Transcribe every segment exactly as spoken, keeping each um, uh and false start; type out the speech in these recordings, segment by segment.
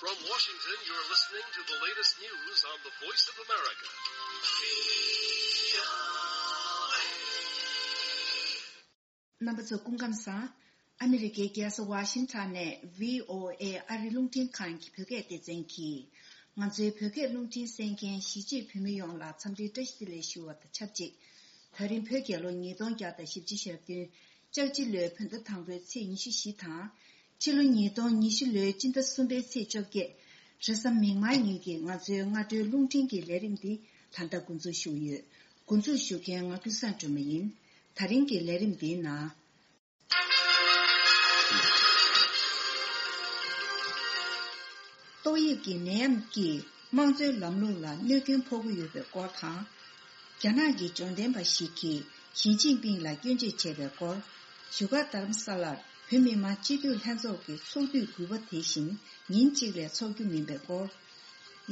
From Washington, you're listening to the latest news on the Voice of America. རྣམ་པ་ཚོ་སྐུ་ཁམས་བཟང་། ཨ་མི་རི་ཀའི་རྒྱལ་ས་ཝ་ཤིང་ཊོན་ནས་བྷི་ཨོ་ཨེ་ཨ་རི་རླུང་འཕྲིན་ཁང་གི་བོད་སྐད་སྡེ་ཚན་གྱིས། ང་ཚོའི་བོད་སྐད་རླུང་འཕྲིན་གསན་མཁན་གཞིས་བྱེས་བོད་མི་ཡོངས་ལ་འཚམས་འདྲིའི་བཀྲ་ཤིས་བདེ་ལེགས་ཞུ་བ་དང་ཆབས་ཅིག་དེ་རིང་བོད་རྒྱལ་ལོ་ཉིས་སྟོང་བརྒྱ་དང་བཞི་བཅུ་ཞེ་བདུན། ལྕགས་བྱི་ལོའི་བོད་ཟླ་དང་པོའི་ཚེས་ཉི་ཤུ་བཞི་དང་། ཕྱི་ལོ་ཉིས་སྟོང་ཉི་ཤུ་ལོའི་སྤྱི་ཟླ་གསུམ་པའི་ཚེས་བཅོ་བརྒྱད། རེས་གཟའ་མིག་དམར་ཉིན་གྱི་ང་ཚོའི་སྔ་དྲོའི་རླུང་འཕྲིན་གྱི་ལས་རིམ་འདི་ད་ལྟ་འགོ་འཛུགས་ཞུ་གི་ཡོད། འགོ་འཛུགས་ཞུ་མཁན་ང་ཀུན་བཟང་སྒྲོལ་མ་ཡིན། ད་རིང་གི་ལས་རིམ་འདིའི་ནང་། ཏོག་དབྱིབས་ཀྱི་ནད་ཡམས་ཀྱིས་དམངས་གཙོའི་ལམ་ལུགས་ལ་གནོད་སྐྱོན་ཕོག་གི་ཡོད་པའི་སྐོར་དང་། རྒྱ་ནག་གི་འབྱོར་ལྡན་པ་ཞིག་གིས་ཞི་ཅིན་ཕིང་ལ་སྐྱོན་བརྗོད་བྱས་པའི་སྐོར། བཞུགས་སྒར་རྡ་རམ་ས་ལར་བོད་མི་མང་སྤྱི་འཐུས་ལྷན་ཚོགས་ཀྱི་ཚོགས་དུས་དགུ་པ་དེ་བཞིན་ཉིན་གཅིག་ལས་འཚོགས་རྒྱུ་མིན་པའི་སྐོར།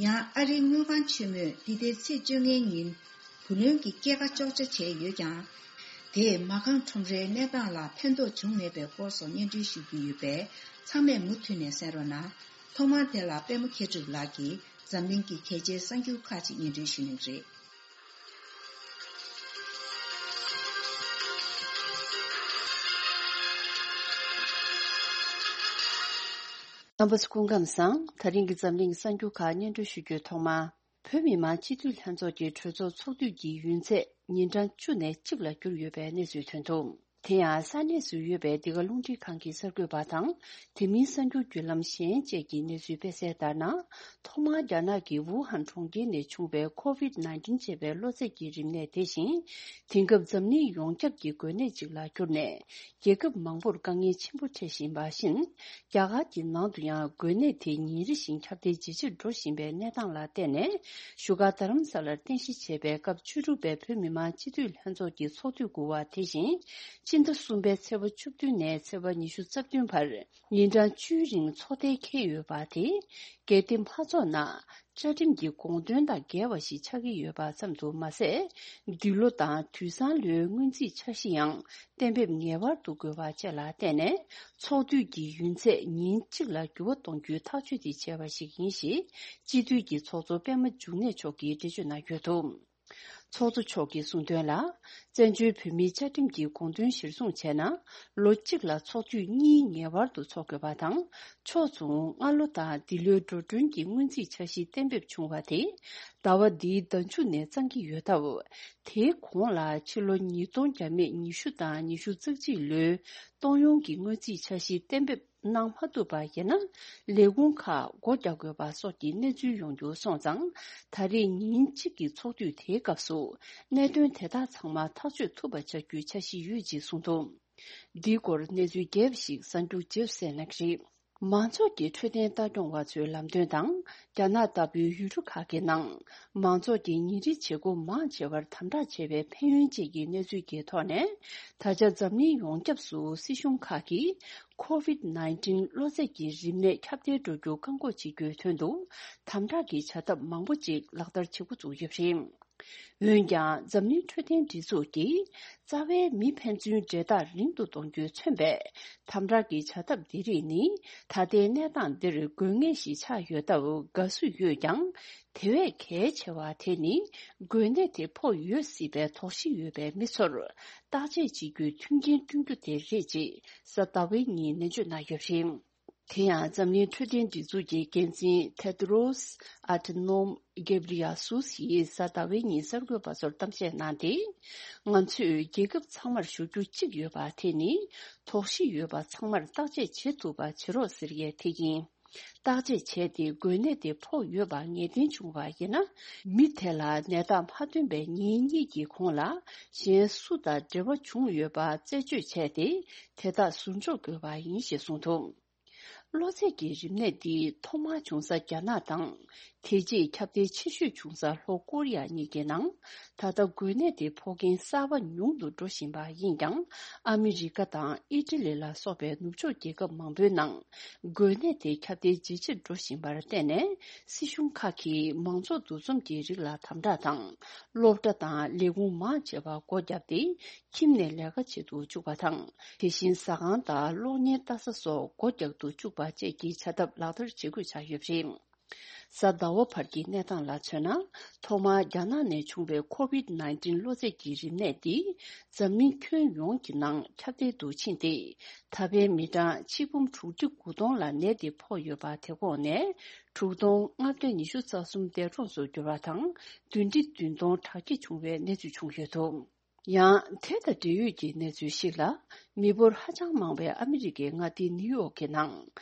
ཡང་ཨ་རིའི་དངུལ་ཁང་ཆེན་མོས་འདི་ཟླའི་ཚེས་བཅོ་ལྔའི་ཉིན་བུ་ལོན་གྱི་སྐྱེད་ཀ་གཅོག་ཆ་བྱས་ཡོད་ཀྱང་། དེས་མ་རྐང་ཁྲོམ་རའི་གནས་སྟངས་ལ་ཕན་ཐོགས་བྱུང་མེད་པའི་སྐོར་སོགས་སྙན་སྒྲོན་ཞུ་རྒྱུ་ཡོད་པས་ཚང་མས་མུ་མཐུད་ནས་གསན་རོགས་གནང་། ཐོག་མར་དེ་ལ་པད་མ་མཁས་གྲུབ་ལགས་ཀྱིས་འཛམ་གླིང་གི་གལ་ཆེའི་གསར་འགྱུར་ཁག་ཅིག་སྙན་སྒྲོན་ཞུ་གནང་གི་རེད། རྣམ་པ་ཚོ་སྐུ་ཁམས་བཟང་། ད་རིང་གི་འཛམ་གླིང་གསར་འགྱུར་ཁག་སྙན་སྒྲོན་ཞུ་རྒྱུའི་ཐོག་མ། བོད་མི་མང་སྤྱི་འཐུས་ལྷན་ཚོགས་ཀྱི་གྲོས་ཚོགས་ཚོགས་དུས་ཀྱི་ཡུན་ཚད་ཉིན་གྲངས་བཅུ་ནས་གཅིག་ལ་བསྒྱུར་ཡོད་པའི་གནས་ཚུལ་ཐོན་འདུག་དེ་ཡང་ས་གནས་སུ་ཡོད་པའི་འདི་ག་རླུང་འཕྲིན་ཁང་གི་གསར་འགོད་པ་དང་། དེ་མིན་གསར་འགྱུར་བརྒྱུད་ལམ་གཞན་བཅས་ཀྱིས་གནས་ཚུལ་སྤེལ་གསལ་ལྟར་ན། ཐོག་མར་རྒྱ་ནག་གི་ཝུ་ཧན་གྲོང་ཁྱེར་ནས་བྱུང་བའི་ཁོ་ཝིད་ནའིན་ཊིན་ཅེས་པའི་གློ་ཚད་ཀྱི་རིམས་ནད་དེ་བཞིན། དེང་སྐབས་འཛམ་གླིང་ཡོངས་ཁྱབ་ཀྱི་འགོས་ནད་ཅིག་ལ་གྱུར་ནས། རྒྱལ་ཁབ་མང་པོར་དཀའ་ངལ་ཆེན་པོ་འཕྲད་བཞིན་པ་བཞིན། རྒྱ་གར་གྱི་ནང་དུ་ཡང་འགོས་ནད་དེ་ཉིན་རེ་བཞིན་ཁྱབ་གདལ་ཇེ་ཆེར་འགྲོ་བཞིན་པའི་གནས་སྟངས་ལ་བརྟེན་ནས། བཞུགས་སྒར་རྡ་རམ་ས་ལར་རྟེན་གཞི་བྱས་པའི་སྐབས་བཅུ་དྲུག་པའི་བོད་མི་མང་སྤྱི་འཐུས་ལྷན་ཚོགས་ཀྱི་ཚོགས་དུས་དགུ་པ་དེ་བཞིན། སྤྱི་ཟླ་གསུམ་པའི་ཚེས་པ་བཅུ་བདུན་ནས་ཚེས་པ་ཉི་ཤུ་རྩ་བདུན་བར། ཉིན་གྲངས་བཅུའི་རིང་ཚོགས་གཏན་འཁེལ་ཡོད་པ་དེ། གལ་ཏེ་མ་ཚོགས་ན། བཅའ་ཁྲིམས་ཀྱི་དགོངས་དོན་དང་འགལ་བ་ཞིག་ཆགས་ཀྱི་ཡོད་པ་ཙམ་དུ་མ་ཟད། འདི་ལོ་དང་དུས་སང་ལོའི་སྔོན་རྩིས་འཆར་གཞི་ཡང་གཏན་འབེབས་ངེས་པར་དུ་དགོས་པ་བཅས་ལ་བརྟེན་ནས། ཚོགས་དུས་ཀྱི་ཡུན་ཚད་ཉིན་གཅིག་ལ་འགྱུར་བ་གཏོང་རྒྱུའི་ཐག་གཅོད་དེ་བྱས་པ་ཞིག་ཡིན་ཞེས། སྤྱི་འཐུས་ཀྱི་ཚོགས་གཙོ་པད་མ་འབྱུང་གནས་མཆོག་གིས་འགྲེལ་བརྗོད་གནང་ཡོད་འདུག་ཚོགས་གཙོ་མཆོག་གིས་གསུངས་དོན་ལ། བཙན་བྱོལ་བོད་མིའི་བཅའ་ཁྲིམས་ཀྱི་དགོངས་དོན་གཞིར་བཟུང་བྱས་ན། ལོ་གཅིག་ལ་ཚོགས་དུས་གཉིས་ངེས་པར་དུ་འཚོགས་དགོས་པ་དང་། ཕྱོགས་མཚུངས་སྔ་ལོ་དང་འདི་ལོའི་འགྲོ་གྲོན་གྱི་སྔོན་རྩིས་འཆར་གཞི་གཏན་འབེབས་བྱུང་བ་དེ། ཟླ་བ་འདིའི་ཟླ་མཇུག་ནས་གཙང་གི་ཡོད་སྟབས། དེའི་གོང་ལ་ཕྱི་ལོ་ཉིས་སྟོང་བརྒྱ་མེད་ཉི་ཤུ་དང་ཉི་ཤུ་རྩ་གཅིག་ལོའི་གཏོང་ཡོང་གི་སྔོན་རྩིས་འཆར་གཞི་གཏན་འབེབས་གནང་མ་ཐུབ་པ་ཡིན་ན། ལས་ཁུངས་ཁག་སྒོ་རྒྱག་དགོས་པ་སོགས་ཀྱི་གནས་ཚུལ་ཡོང་རྒྱུ་སོང་ཙང་། ད་རེས་ཉིན་གཅིག་གི་ཚོགས་དུས་དེའི་སྐབས་སུ། གནད་དོན་དེ་དག་ཚང་མ་ཐག་གཅོད་ཐུབ་པ་བྱ་རྒྱུའི་འཆར་གཞི་ཡོད་ཅེས་གསུངས་འདུག་འདིའི་སྐོར་གནས་ཚུལ་རྒྱས་པ་ཞིག་གསར་འགྱུར་རྗེས་སུ་གསན་གནང་གི་རེད། མང་ཚོགས་ཀྱི་འཕྲོད་བསྟེན་ལྟ་སྐྱོང་བ་ཚོའི་ལམ་སྟོན་དང་། རྒྱ་ནག་ལྟ་བུའི་ཡུལ་གྲུ་ཁག་གི་ནང་། མང་ཚོགས་ཀྱི་ཉིན་རེའི་བྱེད་སྒོ་མང་ཆེ་བར་དམ་དྲག་བྱས་པའི་ཕན་ཡོན་བཅས་ཀྱི་གནས་ཚུལ་གྱི་ཐོག་ནས། ད་ཆ་འཛམ་གླིང་ཡོངས་ཁྱབ་སུ་སྲིད་གཞུང་ཁག་གིས། ཁོ་ཝིད་ནའིན་ཊིན་གློ་ཚད་ཀྱི་རིམས་ནད་ཁྱབ་གདལ་འགྲོ་རྒྱུ་བཀག་འགོག་བྱེད་རྒྱུའི་དོན་དུ། དམ་དྲག་གི་བྱ་ཐབས་མང་པོ་ཅིག་ལག་བསྟར་བྱེད་འགོ་བཙུགས་ཡོད་པ་རེད། འོན་ཀྱང་། འཛམ་གླིང་འཕྲོད་བསྟེན་སྒྲིག་འཛུགས་ཀྱིས། རྩ་བའི་མི་ཕན་ཚུན་འབྲེལ་ཐག་རིང་དུ་གཏོང་རྒྱུས་མཚོན་པའི། དམ་དྲག་གི་བྱ་ཐབས་འདི་རིགས་ནི། ད་ལྟའི་གནས་སྟངས་འདིར་དགོས་ངེས་ཤིག་ཆགས་ཡོད་སྟབས་དགའ་བསུ་ཡོད་ཀྱང་། དེ་བས་གལ་ཆེ་བ་དེ་ནི། འགོས་ནད་དེ་ཕོག་ཡོད་སྲིད་པའི་དོགས་གཞི་ཡོད་པའི་མི་ཚོར། བརྟག་དཔྱད་བྱེད་རྒྱུའི་མཐུན་རྐྱེན་བསྐྲུན་རྒྱུ་དེ་རེད་ཅེས། གཟའ་ཟླ་བའི་ཉིན་ནན་བརྗོད་གནང་ཡོད་པ་རེད། དེ་ཡང་། འཛམ་གླིང་འཕྲོད་བསྟེན་སྒྲིག་འཛུགས་ཀྱི་འགན་འཛིན་ཐེ་ཏྲོ་སི་ཨ་ཐ་ནོམ་གེབ་རི་ཡ་སུ་ཡིས་གཟའ་ཟླ་བའི་ཉིན་གསར་འགོད་པ་ཚོར་གཏམ་བཤད་གནང་སྟེ། ང་ཚོས་རྒྱལ་ཁབ་ཚང་མར་ཞུ་རྒྱུ་གཅིག་ཡོད་པ་དེ་ནི། དོགས་གཞི་ཡོད་པ་ཚང་མར་བརྟག་དཔྱད་བྱེད་ཐུབ་པ་བྱེད་རོགས་ཟེར་ཡས་དེ་ཡིན། བརྟག་དཔྱད་བྱས་ཏེ་འགོས་ནད་དེ་ཕོག་ཡོད་པ་ངེས་གཏན་བྱུང་བ་ཡིན་ན། མི་དེ་ལ་ནད་རྟགས་མ་ཐོན་པའི་ཉིན་གཉིས་ཀྱི་གོང་ལ། གཞན་སུ་དང་འབྲེལ་བ་བྱུང་ཡོད་པ་རྩད་གཅོད་བྱས་ཏེ། དེ་དག་ཟུར་འཇོག་དགོས་པ་ཡིན་ཞེས་གསུངས་འདུག་གློ་ཚད་ཀྱི་རིམས་ནད་འདི་ཐོག་མར་བྱུང་ས་རྒྱ་ནག་དང་། དེ་རྗེས་ཁྱབ་གདལ་ཆེ་ཤོས་བྱུང་ས་ལྷོ་ཀོ་རི་ཡ་གཉིས་ཀྱི་ནང་། ད་ལྟ་འགོས་ནད་དེ་ཕོག་མཁན་གསར་པ་ཉུང་དུ་འགྲོ་བཞིན་པ་ཡིན་ཀྱང་། ཨ་མི་རི་ཀ་དང་ཨི་ཊ་ལི་ལ་སོགས་པའི་ནུབ་ཕྱོགས་རྒྱལ་ཁབ་མང་པོའི་ནང་། འགོས་ནད་དེ་ཁྱབ་གདལ་ཇེ་ཆེར་འགྲོ་བཞིན་པར་བརྟེན་ནས། སྲིད་གཞུང་ཁག་གིས་མང་ཚོགས་འདུ་འཛོམས་ཀྱི་རིགས་ལ་དམ་དྲག་དང་། སློབ་གྲྭ་དང་ལས་ཁུངས་མང་ཆེ་བ་སྒོ་བརྒྱབ་སྟེ། ཁྱིམ་ནས་ལས་ཀ་བྱེད་དུ་བཅུག་པ་དང་། དེ་བཞིན་ཟ་ཁང་དང་གློག་བརྙན་ལྟ་ས་སོགས་སྒོ་རྒྱག་ཏུ་ བཅུག་པ་བཅས་ཀྱི་བྱ་ཐབས་ལག་བསྟར་བྱེད་དགོས་ཆགས་ཡོད་པ་རེད། གཟའ་ཟླ་བ་བར་གྱི་གནས་སྟངས་ལ་མཚོན་ན། ཐོག་མར་རྒྱ་ནག་ནས་བྱུང་བའི་ཁོ་བིད་ནའིན་ཊིན་གློ་ཚད་ཀྱི་རིམས་ནད་འདི་འཛམ་གླིང་ཁྱོན་ཡོངས་ཀྱི་ནང་ཁྱབ་གདལ་དུ་ཕྱིན་ཏེ། ད་ཕན་མི་གྲངས་ཆིག་འབུམ་དྲུག་ཁྲི་དགུ་སྟོང་ལ་ནད་དེ་ཕོག་ཡོད་པ། དེ་གོང་ནས་དྲུག་སྟོང་ལྔ་བརྒྱ་ཉི་ཤུ་རྩ་གསུམ་འདས་གྲོངས་སུ་གྱུར་བ་དང་། བདུན་ཁྲི་བདུན་སྟོང་དྲག་སྐྱེད་བྱུང་བའི་གནས་ཚུལ་བྱུང་ཡོད་འདུག། ཡང་། དེ་དང་འབྲེལ་ཡོད་ཀྱི་གནས་ཚུལ་ཞིག་ལ། མི་འབོར་ཧ་ཅང་མང་བའི་ཨ་མི་རི་ཀའི་མངའ་སྡེ་ནིའུ་ཡོག་གི་ནང་།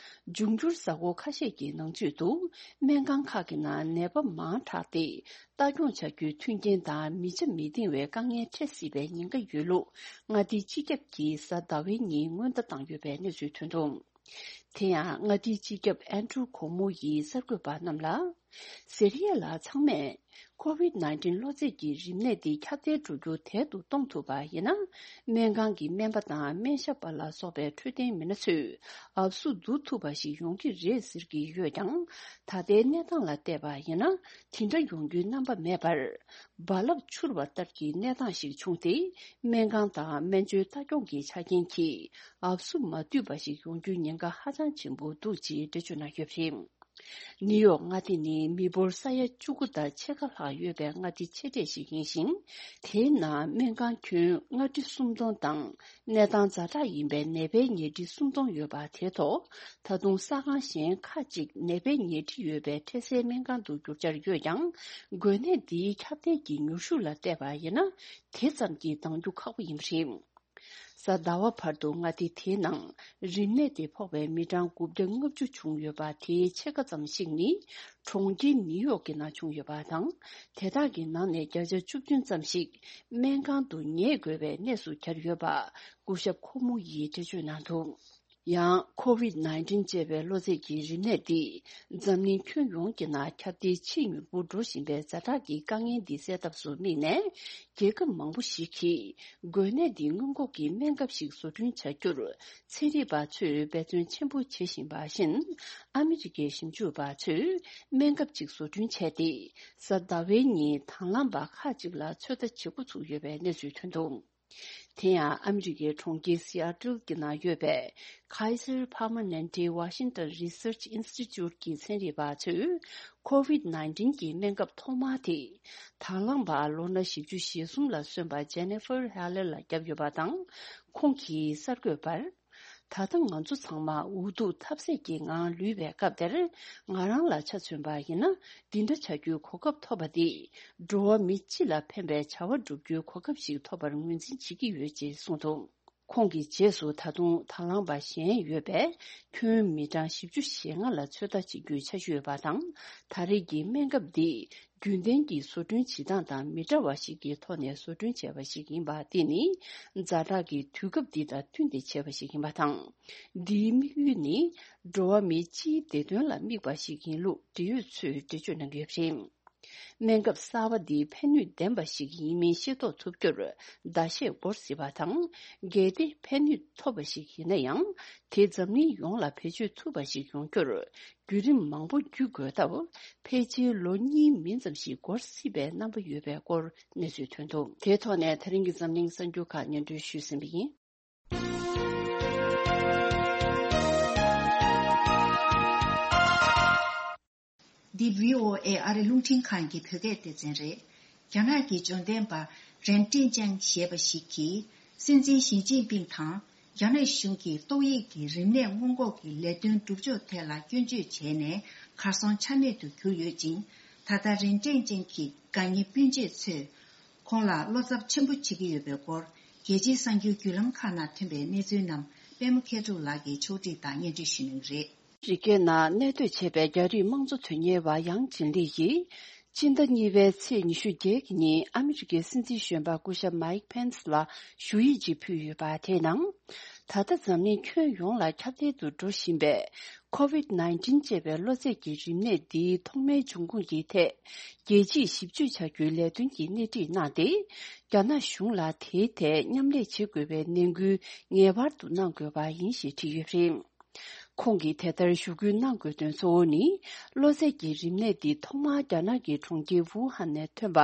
འབྱུང་འགྱུར་གཟའ་འཁོར་ཁ་ཤས་ཀྱི་ནང་ཚུད་དུ། སྨན་ཁང་ཁག་གི་ནང་ནད་པ་མང་དྲགས་ཏེ། ལྟ་སྐྱོང་བྱ་རྒྱུའི་མཐུན་རྐྱེན་དང་མི་ཆ་མི་འདང་བའི་དཀའ་ངལ་འཕྲད་སྲིད་པའི་ཉེན་ཁ་ཡོད་ལུགས། མངའ་སྡེའི་སྤྱི་ཁྱབ་ཀྱིས་གཟའ་ཟླ་བའི་ཉིན་སྔོན་བརྡ་བཏང་ཡོད་པའི་གནས་ཚུལ་ཐོན་འདུག། དེ་ཡང་། མངའ་སྡེའི་སྤྱི་ཁྱབ་ཨན་ཌྲུ་ཁོ་མོ་ཡིས་གསར་འགོད་པ་རྣམས་ལ། ཟེར་ཡས་ལ། ཚང་མས་ཁོ་བིད་ནའིན་ཊིན་གློ་ཚད་ཀྱི་རིམས་ནད་འདི་ཁྱབ་གདལ་འགྲོ་རྒྱུ་དལ་དུ་གཏོང་ཐུབ་པ་ཡིན་ན། སྨན་ཁང་གི་སྨན་པ་དང་སྨན་ཞབས་པ་ལ་སོགས་པའི་འཕྲོད་བསྟེན་མི་སྣ་ཚོས་ཨབ་སུ་བསྡུ་ཐུབ་པ་ཞིག་ཡོང་གི་རེད་ཟེར་གྱི་ཡོད་ཀྱང་། ད་ལྟའི་གནས་སྟངས་ལ་བལྟས་པ་ཡིན་ན། དེ་འདྲ་ཡོང་རྒྱུའི་རྣམ་པ་མེད་པར། རྦ་རླབས་འཕྱུར་བ་ལྟར་གྱི་གནས་སྟངས་ཤིག་བྱུང་སྟེ། སྨན་ཁང་དང་སྨན་བཅོས་ལྟ་སྐྱོང་གི་ཆ་རྐྱེན་གྱིས་ཨབ་སུ་མ་བསྡུས་པ་ཞིག་ཡོང་རྒྱུའི་ཉེན་ཁ་ཧ་ཅང་ཆེན་པོ་འདུག་ཅེས་འགྲེལ་བརྗོད་གནང་ཡོད་པ་རེད། ནིའུ་ཡོག་མངའ་སྡེ་ནི་མི་འབོར་ས་ཡ་བཅུ་དགུ་དང་ཕྱེད་ཀ་ལྷག་ཡོད་པའི་མངའ་སྡེ་ཆེ་གྲས་ཤིག་ཡིན་ཞིང་། དེའི་ནང་སྨན་ཁང་ཁྱོན་ལྔ་ཁྲི་སུམ་སྟོང་དང་། གནས་སྟངས་ཛ་དྲག་ཡིན་པའི་ནད་པའི་ཉལ་ཁྲི་སུམ་སྟོང་ཡོད་པ། དེའི་ཐོག་ད་དུང་ས་ཁང་གཞན་ཁག་ཅིག་ནད་པའི་ཉལ་ཁྲི་ཡོད་པའི་འཕྲལ་སེལ་སྨན་ཁང་དུ་བསྒྱུར་འཆར་ཡོད་ཀྱང་། འགོས་ནད་འདིའི་ཁྱབ་གདལ་གྱི་མྱུར་ཤོས་ལ་བལྟས་པ་ཡིན་ན། དེ་ཙམ་གྱིས་འདང་རྒྱུ་ཁག་པོ་ཡིན་པ་རེད། གཟའ་ཟླ་བ་བར་དུ་མངའ་སྡེ་དེའི་ནང་རིམས་ནད་དེ་ཕོག་པའི་མི་གྲངས་དགུ་བརྒྱ་ལྔ་བཅུ་བྱུང་ཡོད་པ། དེའི་ཕྱེད་ཀ་ཙམ་ཞིག་ནི་གྲོང་ཁྱེར་ནིའུ་ཡོག་གི་ནང་བྱུང་ཡོད་པ་དང་། དེ་དག་གི་ནང་ནས་བརྒྱ་ཆ་བཅུ་བདུན་ཙམ་ཞིག་སྨན་ཁང་དུ་ཉལ་དགོས་པའི་གནས་སུ་གྱར་ཡོད་པ། སྐུ་ཞབས་ཁོ་མོ་ཡིས་འགྲེལ་བརྗོད་གནང་འདུག། ཡང་། ཁོ་བིད་ནའིན་ཊིན་ཅེས་པའི་གློ་ཚད་ཀྱི་རིམས་ནད་འདི་འཛམ་གླིང་ཁྱོན་ཡོངས་ཀྱི་ནང་ཁྱབ་གདལ་ཆེས་མྱུར་པོ་འགྲོ་བཞིན་པའི་ཛ་དྲག་གི་དཀའ་ངལ་འདི་སེལ་ཐབས་སུ་དམིགས་ནས། རྒྱལ་ཁབ་མང་པོ་ཞིག་གིས་འགོས་ནད་འདི་སྔོན་འགོག་གི་སྨན་ཁབ་ཞིག་བཟོ་སྐྲུན་བྱ་རྒྱུར་ཚན་རིག་པ་ཚོས་འབད་བརྩོན་ཆེན་པོ་བྱེད་བཞིན་པ་བཞིན། ཨ་མི་རི་ཀའི་ཞིབ་འཇུག་པ་ཚོས་སྨན་ཁབ་ཅིག་བཟོ་སྐྲུན་བྱས་ཏེ། གཟའ་ཟླ་བའི་ཉིན་དང་བླངས་པ་ཁག་ཅིག་ལ་ཚོད་ལྟ་བྱེད་འགོ་ཚུགས་ཡོད་པའི་གནས་ཚུལ་ཐོན་འདུག། དེ་ཡང་ཨ་མི་རི་ཀའི་གྲོང་ཁྱེར་སི་ཨ་ཏིལ་གྱི་ནང་ཡོད་པའི་Kaiser Permanente Washington Research Institute གྱི་ཚན་རིག་པ་ཚོས་ཁོ་བིད་ནའིན་ཊིན་གྱི་སྨན་ཁབ་ཐོག་མ་དེ་དང་བླངས་པ་ལོ་ན་བཞི་བཅུ་ཞེ་གསུམ་ལ་སོན་པ་Jennifer Haller ལ་བརྒྱབ་ཡོད་པ་དང་། ཁོང་གིས་གསར་འགོད་པར། ད་ལྟ་ང་ཚོ་ཚང་མ་འུ་ཐུག་ཐབས་ཟད་ཀྱི་ངང་ལུས་པའི་སྐབས་དེར། ང་རང་ལ་ཆ་མཚོན་པ་ཡིན་ན། འདི་འདྲ་བྱ་རྒྱུའི་གོ་སྐབས་ཐོབ་པ་འདིས། འགྲོ་བ་མི་སྤྱི་ལ་ཕན་པའི་བྱ་བ་བསྒྲུབ་རྒྱུའི་གོ་སྐབས་ཤིག་ཐོབ་པར་ངོས་འཛིན་བྱེད་ཀྱི་ཡོད་ཅེས་གསུངས་འདུག། ཁོང་གི་རྗེས་སུ་ད་དུང་དང་བླངས་པ་གཞན་ཡོད་པའི་ཁྱོན་མི་གྲངས་བཞི་བཅུ་ཞེ་ལྔ་ལ་ཚོད་ལྟ་བྱེད་རྒྱུའི་འཆར་གཞི་ཡོད་པ་དང་། ད་རེས་ཀྱི་སྨན་ཁབ་འདི་རྒྱུན་ལྡན་གྱི་བཟོ་སྐྲུན་བྱེད་སྟངས་དང་མི་འདྲ་བ་ཞིག་གི་ཐོག་ནས་བཟོ་སྐྲུན་བྱས་པ་ཞིག་ཡིན་པ། འདི་ནི་ཛ་དྲག་གི་དུས་སྐབས་འདི་དང་བསྟུན་ཏེ་བྱས་པ་ཞིག་ཡིན་པ་དང་། འདིའི་དམིགས་ཡུལ་ནི་འགྲོ་བ་མིའི་སྤྱིའི་བདེ་དོན་ལ་དམིགས་པ་ཞིག་ཡིན་ལུགས་འབྲེལ་ཡོད་ཚོས་འགྲེལ་བརྗོད་གནང་གི་ཡོད་པ་རེད། སྨན་ཁབ་གསར་པ་འདི་ཕན་ནུས་ལྡན་པ་ཞིག་ཡིན་མིན་ཤེས་རྟོགས་ཐུབ་རྒྱུར་ཟླ་ཤས་འགོར་སྲིད་པ་དང་། གལ་ཏེ་ཕན་ནུས་ཐོབ་པ་ཞིག་ཡིན་ན་ཡང་། དེ་འཛམ་གླིང་ཡོངས་ལ་བེད་སྤྱོད་ཐུབ་པ་ཞིག་ཡོང་རྒྱུར། བརྒྱུད་རིམ་མང་པོ་བརྒྱུད་དགོས་སྟབས། ཕལ་ཆེར་ལོ་གཉིས་མིན་ཙམ་ཞིག་འགོར་སྲིད་པའི་རྣམ་པ་ཡོད་པའི་སྐོར་གནས་ཚུལ་ཐོན་འདུག། དེའི་ཐོག་ནས་ད་རིང་གི་འཛམ་གླིང་གསར་འགྱུར་ཁག་སྙན་སྒྲོན་ཞུས་ཟིན་པ་ཡིན། འདི་བྷི་ཨོ་ཨེ་ཨ་རི་རླུང་འཕྲིན་ཁང་གི་བོད་སྐད་སྡེ་ཚན་རེད། རྒྱ་ནག་གི་འབྱོར་ལྡན་པ་རེན་ཀྲེན་ཅན་ཞེས་པ་ཞིག་གིས། སྲིད་འཛིན་ཞི་ཅིན་ཕིང་དང་། རྒྱ་ནག་གཞུང་གིས་ཏོག་དབྱིབས་ཀྱི་རིམས་ནད་སྔོན་འགོག་གི་ལས་དོན་སྒྲུབ་ཕྱོགས་ཐད་ལ་སྐྱོན་བརྗོད་བྱས་ནས། གར་སོང་ཆ་མེད་དུ་གྱུར་ཡོད་ཅིང་། ད་ལྟ་རེན་ཀྲེན་ཅན་གྱི་དགའ་ཉེ་སྤུན་མཆེད་ཚོས། ཁོང་ལ་བློ་འཚབ་ཆེན་པོ་བྱེད་ཀྱི་ཡོད་པའི་སྐོར། རྒྱལ་སྤྱིའི་གསར་འགྱུར་བརྒྱུད་ལམ་ཁག་ནང་ཐོན་པའི་གནས་ཚུལ་རྣམས། པད་མ་མཁས་གྲུབ་ལགས་ཀྱིས་ཕྱོགས་སྒྲིག་དང་སྙན་སྒྲོན་ཞུ་གནང་གི་རེད། རི་ཀའི་ནང་གནས་སྡོད་བྱས་པའི་རྒྱ་རིགས་དམངས་གཙོ་དོན་གཉེར་བ་ཡང་ཅིན་ལི་ཡིས། སྤྱི་ཟླ་གཉིས་པའི་ཚེས་ཉི་ཤུ་བརྒྱད་ཀྱི་ཉིན་ཨ་མི་རི་ཀའི་སྲིད་འཛིན་གཞོན་པ་སྐུ་ཞབས་མའིག་ཕེན་སི་ལ་ཞུ་ཡིག་ཅིག་ཕུལ་ཡོད་པ། དེའི་ནང་། ད་ལྟ་འཛམ་གླིང་ཁྱོན་ཡོངས་ལ་ཁྱབ་གདལ་དུ་འགྲོ་བཞིན་པའི་ཁོ་བིད་ནའིན་ཊིན་ཅེས་པའི་གློ་ཚད་ཀྱི་རིམས་ནད་འདིའི་ཐོག་མའི་འབྱུང་ཁུངས་ཀྱི་ཐད། རྒྱལ་སྤྱིས་ཞིབ་དཔྱོད་བྱ་རྒྱུའི་ལས་དོན་གྱི་སྣེ་ཁྲིད་གནང་སྟེ། རྒྱ་ནག་གཞུང་ལ་དེའི་ཐད་མཉམ་ལས་བྱེད་དགོས་པའི་ནན་སྐུལ་ངེས་པར་དུ་གནང་དགོས་པ་ཡིན་ཞེས་བྲིས་ཡོད་པ་རེད། ཁོང་གིས་དེ་ལྟར་ཞུ་སྐུལ་གནང་དགོས་དོན་གཙོ་བོ་ནི། གློ་ཚད་ཀྱི་རིམས་ནད་འདི་ཐོག་མར་རྒྱ་ནག་གི་གྲོང་ཁྱེར་ཝུ་ཧན་ནས་ཐོན་པ་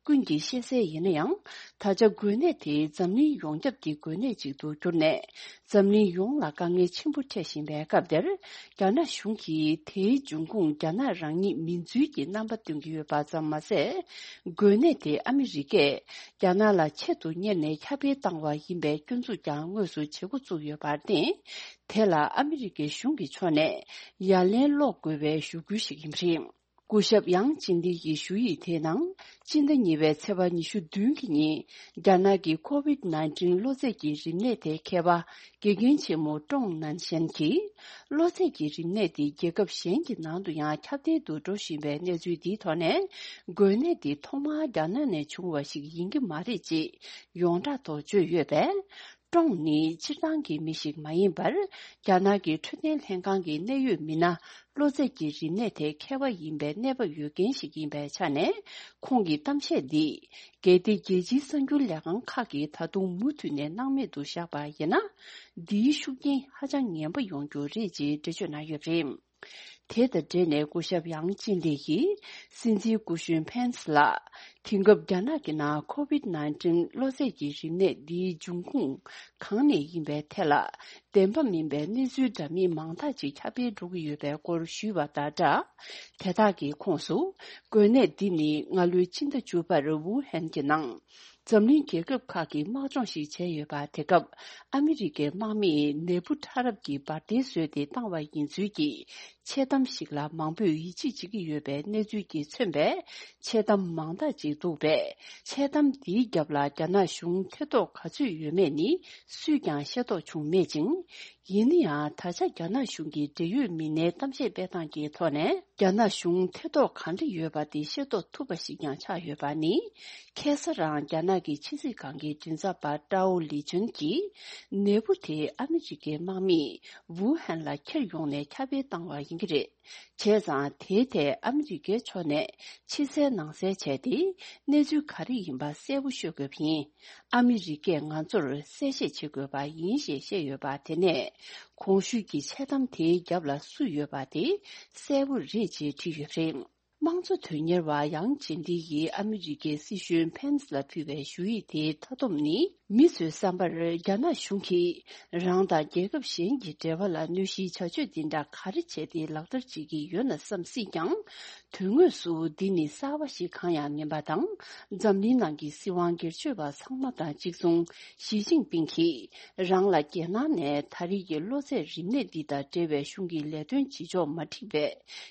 ཀུན་གྱིས་ཤེས་གསལ་ཡིན་ན་ཡང་། ད་ཆ་འགོས་ནད་དེ་འཛམ་གླིང་ཡོངས་ཁྱབ་ཀྱི་འགོས་ནད་ཅིག་ཏུ་གྱུར་ནས། འཛམ་གླིང་ཡོངས་ལ་དཀའ་ངལ་ཆེན་པོ་འཕྲད་བཞིན་པའི་སྐབས་འདིར། རྒྱ་ནག་གཞུང་གིས་དེའི་འབྱུང་ཁུངས་རྒྱ་ནག་རང་ཉིད་མིན་ཚུལ་གྱི་རྣམ་པ་སྟོན་གྱི་ཡོད་པ་ཙམ་མ་ཟད། འགོས་ནད་དེ་ཨ་མི་རི་ཀས་རྒྱ་ནག་ལ་ཆེད་དུ་གཉེར་ནས་ཁྱབ་སྤེལ་བཏང་བ་ཡིན་པའི་སྐྱོན་འཛུགས་ཀྱང་དངོས་སུ་བྱེད་འགོ་བཙུགས་ཡོད་པར་བརྟེན། དེ་ལ་ཨ་མི་རི་ཀའི་གཞུང་གི་ཕྱོགས་ནས་ཡ་ལན་སློག་དགོས་པའི་ཞུ་སྐུལ་ཞིག་ཡིན་པ་རེད། སྐུ་ཞབས་ཡང་ཅིན་ལི་ཡི་ཞུ་ཡིག་དེའི་ནང་། སྤྱི་ཟླ་གཉིས་པའི་ཚེས་པ་ཉི་ཤུ་བདུན་གྱི་ཉིན། རྒྱ་ནག་གི་ཁོ་ཝིད་ནའིན་ཊིན་གློ་ཚད་ཀྱི་རིམས་ནད་དེ་མཁས་པ་དགེ་རྒན་ཆེན་མོ་ཀྲོང་ནན་ཤན་གྱིས། གློ་ཚད་ཀྱི་རིམས་ནད་དེ་རྒྱལ་ཁབ་གཞན་གྱི་ནང་དུ་ཡང་ཁྱབ་གདལ་དུ་འགྲོ་བཞིན་པའི་གནས་ཚུལ་འདིའི་ཐོག་ནས། འགོས་ནད་འདི་ཐོག་མར་རྒྱ་ནག་ནས་བྱུང་བ་ཞིག་ཡིན་གྱི་མ་རེད་ཅེས་ཡོངས་གྲགས་ཐོག་བརྗོད་ཡོད་པས། ཀྲོང་ནི་སྤྱིར་བཏང་གི་མི་ཞིག་མ་ཡིན་པར། རྒྱ་ནག་གི་འཕྲོད་བསྟེན་ལྷན་ཁང་གི་གནད་ཡོད་མི་སྣ། གློ་ཚད་ཀྱི་རིམས་ནད་དེ་མཁས་པ་ཡིན་པའི་གནས་བབ་ཡོད་མཁན་ཞིག་ཡིན་པའི་ཆ་ནས། ཁོང་གི་གཏམ་བཤད་འདི། གལ་ཏེ་རྒྱལ་སྤྱིའི་གསར་འགྱུར་ལས་ཁང་ཁག་གིས་ད་དུང་མུ་མཐུད་ནས་སྣང་མེད་དུ་བཞག་པ་ཡིན་ན། འདིའི་ཤུགས་རྐྱེན་ཧ་ཅང་ངན་པ་ཡོང་རྒྱུ་རེད་ཅེས་འགྲེལ་བརྗོད་གནང་ཡོད་པ་རེད། དེ་དང་འབྲེལ་ནས་སྐུ་ཞབས་ཡང་ཅིན་ལི་ཡིས། སྲིད་འཛིན་སྐུ་གཞོན་ཕེན་སི་ལ། དེང་སྐབས་རྒྱ་ནག་གི་ནང་ཁོ་ཝིད་ནའིན་ཊིན་གློ་ཚད་ཀྱི་རིམས་ནད་འདིའི་འབྱུང་ཁུངས་གང་ནས་ཡིན་པའི་ཐད་ལ། བདེན་པ་མིན་པའི་གནས་ཚུལ་འདྲ་མིན་མང་དག་ཅིག་ཁྱབ་སྤེལ་འགྲོ་གི་ཡོད་པའི་སྐོར་ཞུས་པ་དང་སྦྲགས། དེ་དག་གི་ཁོངས་སུ། འགོས་ནད་འདི་ནི་སྔ་ལོའི་ཕྱི་ཟླ་བཅུ་པར་ཝུ་ཧན་གྱི་ནང་། འཛམ་གླིང་རྒྱལ་ཁབ་ཁག་གིས་དམག་སྦྱོང་ཞིག་བྱས་ཡོད་པ། དེ་སྐབས་ཨ་མི་རི་ཀའི་དམག་མིས་ནད་འབུ་ཕྲ་རབ་ཀྱི་འབར་མདེལ་བཟོས་ཏེ་བཏང་བ་ཡིན་ཚུལ་གྱི་འཆལ་གཏམ་ཞིག་ལ་མང་པོས་ཡིད་ཆེས་བྱེད་ཀྱི་ཡོད་པའི་གནས་ཚུལ་གྱིས་མཚོན་པའི་འཆལ་གཏམ་མང་དག་ཅིག་འདུག་པས། འཆལ་གཏམ་འདིའི་རྒྱབ་ལ་རྒྱ་ནག་གཞུང་ཐེ་གཏོགས་ག་ཚོད་ཡོད་མེད་ནི་སུས་ཀྱང་ཤེས་རྟོགས་བྱུང་མེད་ཅིང་། ཡིན་ན་ཡང་། ད་ཆ་རྒྱ་ནག་གཞུང་གི་འབྲེལ་ཡོད་མི་སྣའི་གཏམ་བཤད་སྤེལ་སྟངས་ཀྱི་ཐོག་ནས། རྒྱ་ནག་གཞུང་ཐེ་གཏོགས་གང་འདྲ་ཡོད་པ་དེ་ཤེས་རྟོགས་ཐུབ་པ་ཞིག་ཀྱང་ཆགས་ཡོད་པ་ནི། ཁ་སང་རང་རྒྱ་ནག་གི་ཕྱི་སྲིད་ཁང་གི་མགྲིན་ཚབ་པ་ཀྲའོ་ལི་ཅུན་གྱིས། ནད་འབུ་དེ་ཨ་མི་རི་ཀའི་དམག་མིས་ཝུ་ཧན་ལ་འཁྱེར་ཡོང་ནས་ཁྱབ་སྤེལ་བཏང་བ་ཡིན་གྱི་རེད། བྱས་ཙང་། དེའི་ཐད་ཨ་མི་རི་ཀའི་ཕྱོགས་ནས་ཕྱི་གསལ་ནང་གསལ་བྱས་ཏེ། གནས་ཚུལ་ག་རེ་ཡིན་པ་གསལ་པོ་ཤོད་དགོས་པ་ཡིན། ཨ་མི་རི་ཀས་ང་ཚོར་གསལ་བཤད་བྱེད་དགོས་པ་ཡིན་ཞེས་བཤད་ཡོད་པ། དེ་ནས་གོང་ཞུས་ཀྱི་འཆལ་གཏམ་དེའི་རྒྱབ་ལ་སུ་ཡོད་པ་དེ་གསལ་པོ་རེད་ཅེས་བྲིས་ཡོད་པ་རེད། དམངས་གཙོ་དོན་གཉེར་བ་ཡང་ཅིན་ལི་ཡིས་ཨ་མི་རི་ཀའི་སྲིད་གཞུང་ཕེན་སི་ལ་ཕུལ་བའི་ཞུ་ཡིག་དེའི་མཐའ་སྡོམ་ནི། མི་ཚོའི་བསམ་པར། རྒྱ་ནག་གཞུང་གིས་རང་དང་རྒྱལ་ཁབ་གཞན་གྱི་འབྲེལ་བ་ལ་གནོད་གཞིའི་བྱ་སྤྱོད་འདི་འདྲ་ག་རེ་བྱས་ཏེ་ལག་བསྟར་བྱེད་ཀྱི་ཡོད་ན་བསམ་སྲིད་ཀྱང་། དོན་དངོས་སུ་འདི་ནི་གསར་པ་ཞིག་གང་ཡང་མིན་པ་དང་། འཛམ་གླིང་ནང་གི་སྲིད་དབང་སྒེར་གཅོད་པ་ཚང་མ་དང་གཅིག་མཚུངས། ཞི་ཅིན་ཕིང་གིས་རང་ལ་རྒྱལ་ནང་ནས་ད་རེས་ཀྱི་གློ་ཚད་རིམས་ནད་འདི་དང་འབྲེལ་བའི་གཞུང་གི་ལས་དོན་བྱེད་ཕྱོགས་མ་འགྲིག་པའི་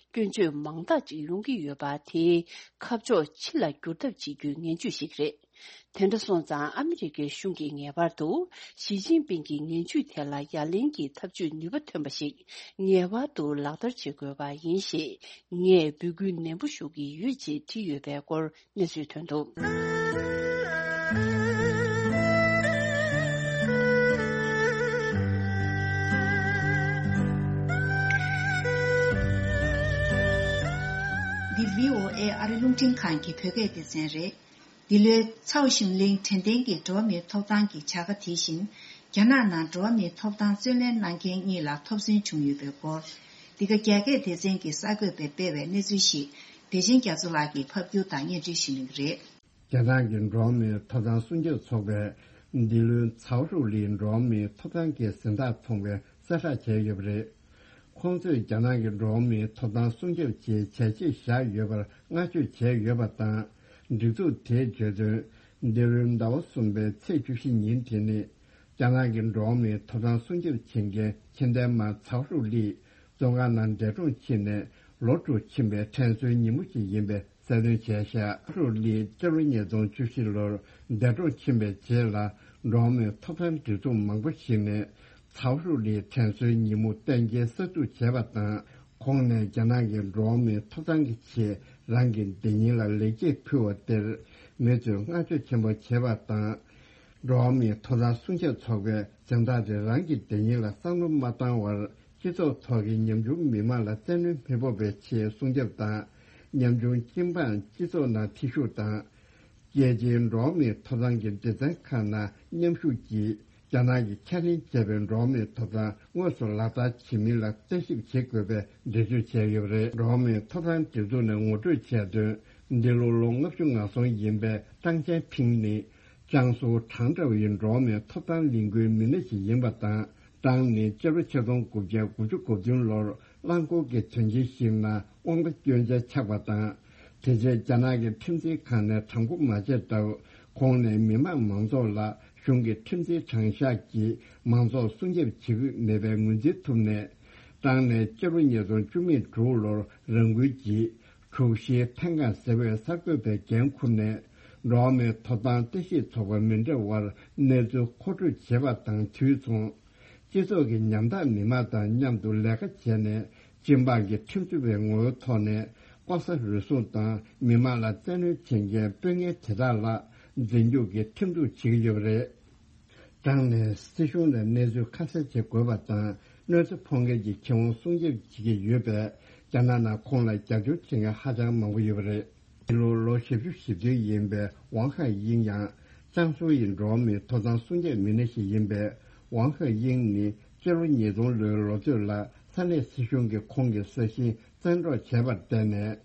སྐྱོན་བརྗོད་མང་དག་ཅིག་ཡོང་གི་ཡོད་པ། དེའི་ཁ་ཕྱོགས་ཕྱི་ལ་བསྒྱུར་ཐབས་བྱེད་རྒྱུའི་ངན་ཇུས་ཤིག་རེད། དེ་འདྲ་སོང་ཙང་། ཨ་མི་རི་ཀའི་གཞུང་གིས་ངེས་པར་དུ་ཞི་ཅིན་ཕིང་གི་ངན་ཇུས་དེ་ལ་ཡ་ལན་གྱི་ཐབས་ཇུས་ནུས་པ་ཐོན་པ་ཞིག་ངེས་པར་དུ་ལག་བསྟར་བྱེད་དགོས་པ་ཡིན་ཞེས་ངས་འབོད་སྐུལ་ནན་པོ་ཞུ་གི་ཡོད་ཅེས་བྲིས་ཡོད་པའི་སྐོར་གནས་ཚུལ་ཐོན་འདུག། འདི་བྷི་ཨོ་ཨེ་ཨ་རི་རླུང་འཕྲིན་ཁང་གི་བོད་སྐད་སྡེ་ཚན་རེད། འདི་ལོའི་ཚའོ་ཞུན་ལིང་དྲན་རྟེན་གྱི་འགྲོ་བ་མིའི་ཐོབ་ཐང་གི་བྱ་དགའ་དེ་བཞིན། རྒྱ་ནག་ནང་འགྲོ་བ་མིའི་ཐོབ་ཐང་རྩོད་ལེན་གནང་མཁན་གཉིས་ལ་ཐོབ་ཟིན་བྱུང་ཡོད་པའི་སྐོར། འདི་ག་རྒྱ་སྐད་སྡེ་ཚན་གྱི་གསར་འགོད་པས་སྤེལ་བའི་གནས་ཚུལ་ཞིག་བདེ་ཆེན་རྒྱ་མཚོ་ལགས་ཀྱིས་ཕབ་སྒྱུར་དང་སྙན་སྒྲོན་ཞུ་གནང་གི་རེད། རྒྱ་ནག་གི་འགྲོ་བ་མིའི་ཐོབ་ཐང་སྲུང་སྐྱོབ་ཚོགས་པས་འདི་ལོའི་ཚའོ་ཧྲུའུ་ལིའི་འགྲོ་བ་མིའི་ཐོབ་ཐང་གི་གཟེངས་རྟགས་ཐོབ་མཁན་གསལ་བསྒྲགས་བྱས་ཡོད་པ་རེད། ཁོང་ཚོས་རྒྱ་ནག་གི་འགྲོ་བ་མིའི་ཐོབ་ཐང་སྲུང་སྐྱོབ་ཆེད་བྱས་རྗེས་བཞག་ཡོད་པར་བསྔགས་བརྗོད་བྱས་ཡོད་པ་དང་། སྒྲིག་འཛུགས་དེས་བརྗོད་དོན། འདི་ལོའི་ཟླ་བ་གསུམ་པའི་ཚེས་བཅུ་བཞི་ཉིན་དེ་ནི། རྒྱ་ནག་གི་འགྲོ་བ་མིའི་ཐོབ་ཐང་སྲུང་སྐྱོབ་བྱེད་མཁན་ཁྱི་ལྡན་མ་ཚའོ་ཧྲུའུ་ལི་བཙོན་ཁང་ནང་འདས་གྲོངས་ཕྱིན་ནས་ལོ་དྲུག་ཕྱིན་པའི་དྲན་གསོའི་ཉིན་མོ་ཞིག་ཡིན་པའི་གསལ་སྟོན་བྱས་བཞག། ཧྲུའུ་ལི་སྤྱི་ལོ་ཉིས་སྟོང་བཅུ་བཞི་ལོར་འདས་གྲོངས་ཕྱིན་པའི་རྗེས་ལ། འགྲོ་བ་མིའི་ཐོབ་ཐང་སྒྲིག་འཛུགས་མང་པོ་ཞིག་ནས་ཚའོ་ཧྲུའུ་ལིའི་དྲན་གསོའི་ཉིན་མོ་གཏན་འཁེལ་གསར་འཛུགས་བྱས་པ་དང་། ཁོང་ནས་རྒྱ་ནག་གི་འགྲོ་བ་མིའི་ཐོབ་ཐང་གི་ཆེད་རང་གི་སྡིག་ཉེས་ལ་ལེགས་སྐྱེས་ཕུལ་བ་དེར་མི་ཚོས་བསྔགས་བརྗོད་ཆེན་པོ་བྱས་པ་དང་། འགྲོ་བ་མིའི་ཐོབ་ཐང་སྲུང་སྐྱོབ་ཚོགས་པས་གཟེངས་རྟགས་དེ་རང་གི་སྡིག་ཉེས་ལ་བསམ་བློ་མ་བཏང་བར། སྤྱི་ཚོགས་ཐོག་གི་ཉམ་ཆུང་མི་མང་ལ་བཙན་གནོན་མི་ཕོག་པའི་ཆེད་སྲུང་སྐྱོབ་དང་། ཉམ་ཆུང་སྤྱི་འབངས་སྤྱི་ཚོགས་ནང་ཐེ་ཞུགས་དང་། རྒྱལ་སྤྱིའི་འགྲོ་བ་མིའི་ཐོབ་ཐང་གི་སྡེ་ཚན་ཁག་ནང་མཉམ་ཞུགས་ཀྱིས། རྒྱ་ནག་གིས་ཁས་ལེན་བྱས་པའི་འགྲོ་བ་མིའི་ཐོབ་ཐང་དངོས་སུ་ལག་བསྟར་བྱེད་མིན་ལ་བརྟག་ཞིབ་བྱེད་དགོས་པའི་འགྲེལ་བརྗོད་བྱས་ཡོད་པ་རེད། འགྲོ་བ་མིའི་ཐོབ་ཐང་སྒྲིག་འཛུགས་ནས་ངོ་སྤྲོད་བྱས་དོན། འདི་ལོ་ལོ་ལྔ་བཅུ་ང་གསུམ་ཡིན་པའི་ཀྲང་ཅན་ཕིང་ནི། ཅང་སུའུ་ཁྲང་ཀྲའོ་ཡི་འགྲོ་བ་མིའི་ཐོབ་ཐང་ལས་འགུལ་མི་སྣ་ཞིག་ཡིན་པ་དང་། ཀྲང་ནི་སྤྱི་ལོ་ཆིག་སྟོང་དགུ་བརྒྱ་དགུ་བཅུ་གོ་བདུན་ལོར་རླངས་འཁོར་གྱི་དོན་རྐྱེན་ཞིག་ནང་དབང་ཆ་སྐྱོན་ཆ་ཆགས་པ་དང་། དེ་རྗེས་རྒྱ་ནག་གི་ཁྲིམས་འཛིན་ཁང་ནས་དྲང་པོ་མ་བྱས་སྟབས། ཁོང་ནས་མི་དམངས་མང་ཚོགས་ལ་གཞུང་གི་ཁྲིམས་འཛིན་དྲང་གཞག་གིས་མང་ཚོགས་སྲུང་སྐྱོབ་བྱེད་ཀྱི་མེད་པའི་ངོས་འཛིན་ཐུབ་ནས། ཀྲང་ནས་སྤྱི་ལོ་ཉིས་སྟོང་བཅུ་མེད་དྲུག་ལོར་རང་འགུལ་གྱིས། དྲུག་བཞིའི་ཐེངས་གང་ཟེར་བའི་གསར་འགོད་པའི་འགན་འཁུར་ནས། འགྲོ་བ་མིའི་ཐོབ་ཐང་བརྟག་ཞིབ་ཚོགས་པ་མི་འདྲ་བར་གནས་ཚུལ་མཁོ་སྤྲོད་བྱེད་པ་དང་དུས་མཚུངས། སྤྱི་ཚོགས་ཀྱི་ཉམ་ཐག་མི་མང་དང་མཉམ་དུ་ལས་ཀ་བྱས་ནས། སྤྱི་འབངས་ཀྱི་ཁྲིམས་རྩོད་པའི་ངོ་བོའི་ཐོག་ནས། ལྐོག་ཟ་རུལ་སུངས་དང་མི་མང་ལ་བཙན་གནོན་བྱེད་མཁན་དཔོན་ངན་དེ་དག་ལ་འཛིན་སྐྱོང་གི་ཁྲིམས་གཏུག་བྱེད་ཀྱི་ཡོད་པ་རེད། ཀྲང་ནས་སྲིད་གཞུང་ལ་གནས་ཚུལ་ཁ་གསལ་བྱེད་དགོས་པ་དང་། གནོད་འཚེ་ཕོག་མཁན་གྱི་ཁེ་དབང་སྲུང་སྐྱོབ་བྱེད་ཀྱི་ཡོད་པས། རྒྱ་ནག་ནང་ཁོང་ལ་རྒྱབ་སྐྱོར་བྱེད་མཁན་ཧ་ཅང་མང་པོ་ཡོད་པ་རེད། འདི་ལོ་ལོ་བཞི་བཅུ་ཞེ་བདུན་ཡིན་པའི་ཝང་ཧའེ་དབྱིང་ཡང་། ཅང་སུའུ་ཡི་འགྲོ་བ་མིའི་ཐོབ་ཐང་སྲུང་སྐྱོབ་མི་སྣ་ཞིག་ཡིན་པའི་ཝང་ཧའེ་དབྱིང་ནི། སྤྱི་ལོ་ཉིས་སྟོང་ལོའི་ལོ་ཚོད་ལ་ས་གནས་སྲིད་གཞུང་གིས་ཁོང་གི་ས་ཞིང་བཙན་འཕྲོག་བྱས་པར་བརྟེན་ནས།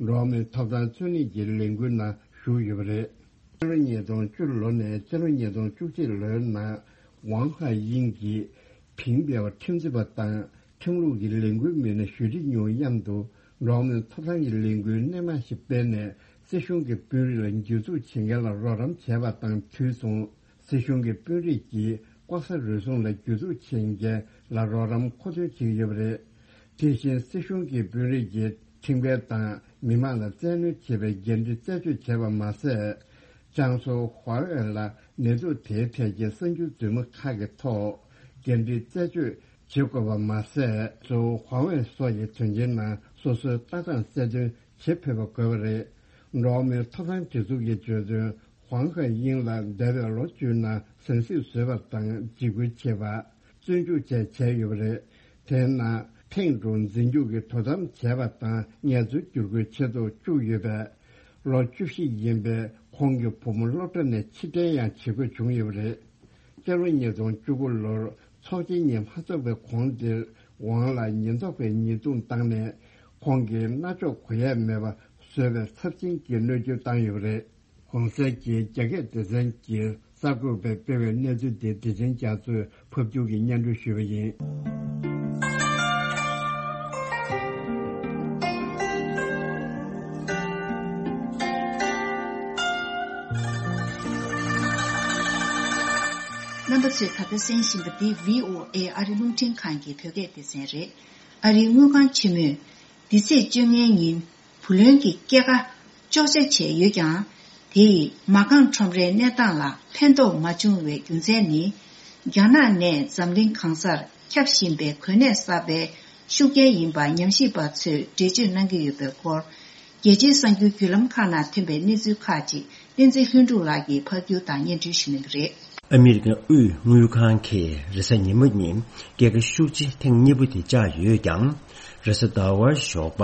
འགྲོ་བ་མིའི་ཐོབ་ཐང་རྩོད་ལེན་གྱི་ལས་འགུལ་ནང་ཞུགས་ཡོད་པ་རེད། སྤྱི་ལོ་ཉིས་སྟོང་བཅུ་ལོ་ནས་སྤྱི་ལོ་ཉིས་སྟོང་བཅུ་གཅིག་ལོའི་ནང་། ཝང་ཧའེ་དབྱིང་གིས་ཕིང་པའོ་ཁྲིམས་རྩོད་པ་དང་ཁྲིམས་ལུགས་ཀྱི་ལས་འགུལ་མི་སྣ་ཞུ་ཅི་ཉུང་མཉམ་དུ་འགྲོ་བ་མིའི་ཐོབ་ཐང་གི་ལས་འགུལ་སྣེ་མང་ཞིག་སྤེལ་ནས། སྲིད་གཞུང་གི་དཔོན་རིགས་ལ་འཇུ་བཙུགས་བྱེད་མཁན་ལ་རོགས་རམ་བྱས་པ་དང་དུས་མཚུངས། སྲིད་གཞུང་གི་དཔོན་རིགས་ཀྱིས་ལྐོག་ཟ་རུལ་སུངས་ལ་འཇུ་བཙུགས་བྱེད་མཁན་ལ་རོགས་རམ་མཁོ་འདོན་བྱེད་ཀྱི་ཡོད་པ་རེད། དེ་བཞིན་སྲིད་གཞུང་གི་དཔོན་རིགས་ཀྱིས་ཁྲིམས་འགལ་དང་མི་མང་ལ་བཙན་གནོན་བྱེད་པའི་འགན་འཁྲི་རྩད་གཅོད་བྱས་པ་མ་ཟད། ཅང་སུའུ་ཧྭ་ཝེ་ལ་ནད་དུག་དེའི་ཐད་ཀྱི་གསར་འགྱུར་རྫུན་མ་ཁག་གི་ཐོག་འགན་འཁྲི་རྩད་གཅོད་བྱེད་དགོས་པ་མ་ཟད། ཅང་སུའུ་ཧྭ་ཝེ་སོགས་ཀྱི་དོན་རྐྱེན་ནང་སོ་སོའི་ལྟ་སྟངས་གསལ་སྟོན་བྱེད་ཕོད་པ་དགོས་པ་རེད། འགྲོ་བ་མིའི་ཐོབ་ཐང་སྒྲིག་འཛུགས་ཀྱིས་བརྗོད་དོན། ཧུང་ཧའེ་དབྱིང་ལ་འདས་པའི་ལོ་བཅུ་ནང་ཟང་ཟིང་བཟོས་པ་དང་འཇིགས་སྐུལ་བྱས་པ། བཙོན་འཇུག་བཅས་བྱས་ཡོད་པ་རེད། དེའི་ནང་ཐེངས་དྲུག་འཛིན་སྐྱོང་གི་དོ་དམ་བྱས་པ་དང་ངལ་རྩོལ་བསྒྱུར་བཀོད་བྱེད་དུ་བཅུག་ཡོད་པས། ལོ་བཅུ་བཞི་ཡིན་པའི་ཁོང་གི་བུ་མོ་སློབ་གྲྭ་ནས་ཕྱིར་འཐེན་ཡང་བྱེད་དགོས་བྱུང་ཡོད་པ་རེད། སྤྱི་ལོ་ཉིས་སྟོང་བཅུ་དགུ་ལོར་ཚོགས་ཆེན་གཉིས་མ་ཚོགས་པའི་གོང་དེར་ཝང་ལ་ཉེན་རྟོག་པས་ཉེས་རྡུང་བཏང་ནས། ཁོང་གི་རྣ་ཅོག་གོ་ཡས་མེད་པ་བཟོས་པའི་ཚབས་ཆེན་གྱི་གནོད་སྐྱོན་བཏང་ཡོད་པ་རེད། གོང་གསལ་གྱི་རྒྱ་སྐད་སྡེ་ཚན་གྱི་གསར་འགོད་པས་སྤེལ་བའི་གནས་ཚུལ་དེ་བདེ་ཆེན་རྒྱ་མཚོས་ཕབ་སྒྱུར་གྱིས་སྙན་སྒྲོན་ཞུས་པ་ཡིན། རྣམ་པ་ཚོས་ད་ལྟ་གསན་བཞིན་པ་འདི་བྷི་ཨོ་ཨེ་ཨ་རི་རླུང་འཕྲིན་ཁང་གི་བོད་སྐད་སྡེ་ཚན་རེད། ཨ་རིའི་དངུལ་ཁང་ཆེན་མོས། འདི་ཚེས་བཅོ་ལྔའི་ཉིན། བུ་ལོན་གྱི་སྐྱེད་ཀ་གཅོག་ཆ་བྱས་ཡོད་ཀྱང་། དེ་ཡིས་མ་རྐང་ཁྲོམ་རའི་གནས་སྟངས་ལ་ཕན་ཐོགས་མ་བྱུང་བའི་རྒྱུ་མཚན་ནི། རྒྱ་ནག་ནས་འཛམ་གླིང་གང་སར་ཁྱབ་བཞིན་པའི་གོ་གནས་གསར་པའི་ཤུགས་རྐྱེན་ཡིན་པ་ཉམས་ཞིབ་པ་ཚོས་འགྲེལ་བརྗོད་གནང་གི་ཡོད་པའི་སྐོར། རྒྱལ་སྤྱིའི་གསར་འགྱུར་བརྒྱུད་ལམ་ཁག་ནང་ཐོན་པའི་གནས་ཚུལ་ཁག་ཅིག་བསྟན་འཛིན་ལྷུན་གྲུབ་ལགས་ཀྱིས་ཕབ་སྒྱུར་དང་སྙན་སྒྲོན་ཞུ་གནང་གི་རེད། ཨ་མི་རི་ཀའི་དབུས་དངུལ་ཁང་གིས་རེས་གཟའ་ཉི་མ་ཉིན་སྐྱེད་ཀ་ཤུགས་ཆེ་ཐེངས་གཉིས་པ་དེ་བཅག་ཡོད་ཀྱང་། རེས་གཟའ་ཟླ་བར་ཞོགས་པ་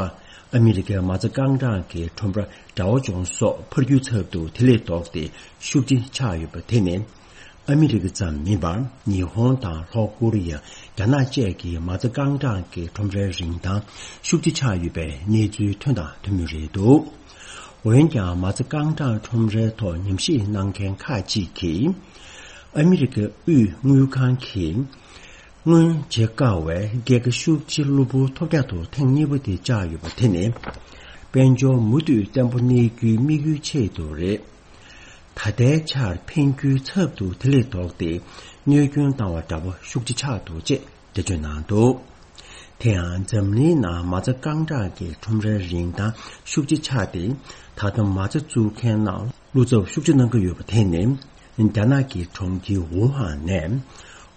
ཨ་མི་རི་ཀའི་མ་རྩ་རྐང་གྲངས་ཀྱི་ཁྲོམ་ར་Dow Jones་སོགས་འཕར་རྒྱུག་ཚབ་ཏུ་དེ་ལས་ལྡོག་སྟེ་ཤུགས་ཆེ་ཆག་ཡོད་པ་དེ་ནི། ཨ་མི་རི་ཀ་ཙམ་མིན་པར་ཉི་ཧོང་དང་ལྷོ་ཀོ་རི་ཡ། རྒྱ་ནག་བཅས་ཀྱི་མ་རྩ་རྐང་གྲངས་ཀྱི་ཁྲོམ་རའི་རིན་ཐང་ཤུགས་ཆེ་ཆག་ཡོད་པའི་གནས་ཚུལ་ཐོན་དང་ཐོན་མུས་རེད་འདུག་འོན་ཀྱང་མ་རྩ་རྐང་གྲངས་ཁྲོམ་རའི་ཐོག་ཉམས་ཞིབ་གནང་མཁན་ཁག་ཅིག་གིས། ཨ་མི་རི་ཀའི་དབུས་དངུལ་ཁང་གིས། སྔོན་བྱེད་དཀའ་བའི་སྐྱེད་ཀ་ཤུགས་ཆེ་གློ་བུར་ཐོལ་རྒྱག་ཏུ་ཐེངས་གཉིས་པ་དེ་བཅག་ཡོད་པ་དེ་ནི། དཔལ་འབྱོར་མུ་མཐུད་བརྟན་པོ་གནས་རྒྱུའི་དམིགས་ཡུལ་ཆེད་དུ་རེད། ད་ལྟའི་ཆར་འཕེལ་འགྱུར་ཚབ་ཏུ་དེ་ལས་ལྡོག་སྟེ་གནོད་སྐྱོན་བཏང་བ་འདྲ་པོ་ཤུགས་ཆེ་ཆགས་འདུག་ཅེས་འགྲེལ་བརྗོད་གནང་འདུག་དེ་ཡང་འཛམ་གླིང་ནང་མ་རྩ་རྐང་གྲངས་ཀྱི་ཁྲོམ་རའི་རིན་ཐང་ཤུགས་ཆེ་ཆག་སྟེ། ད་ལྟ་མ་རྩ་བཙུགས་མཁན་རྣམས་བློ་འཚབ་ཤུགས་ཆེ་གནང་གི་ཡོད་པ་དེ་ནི། རྒྱ་ནག་གི་གྲོང་ཁྱེར་ཝུ་ཧན་ནས་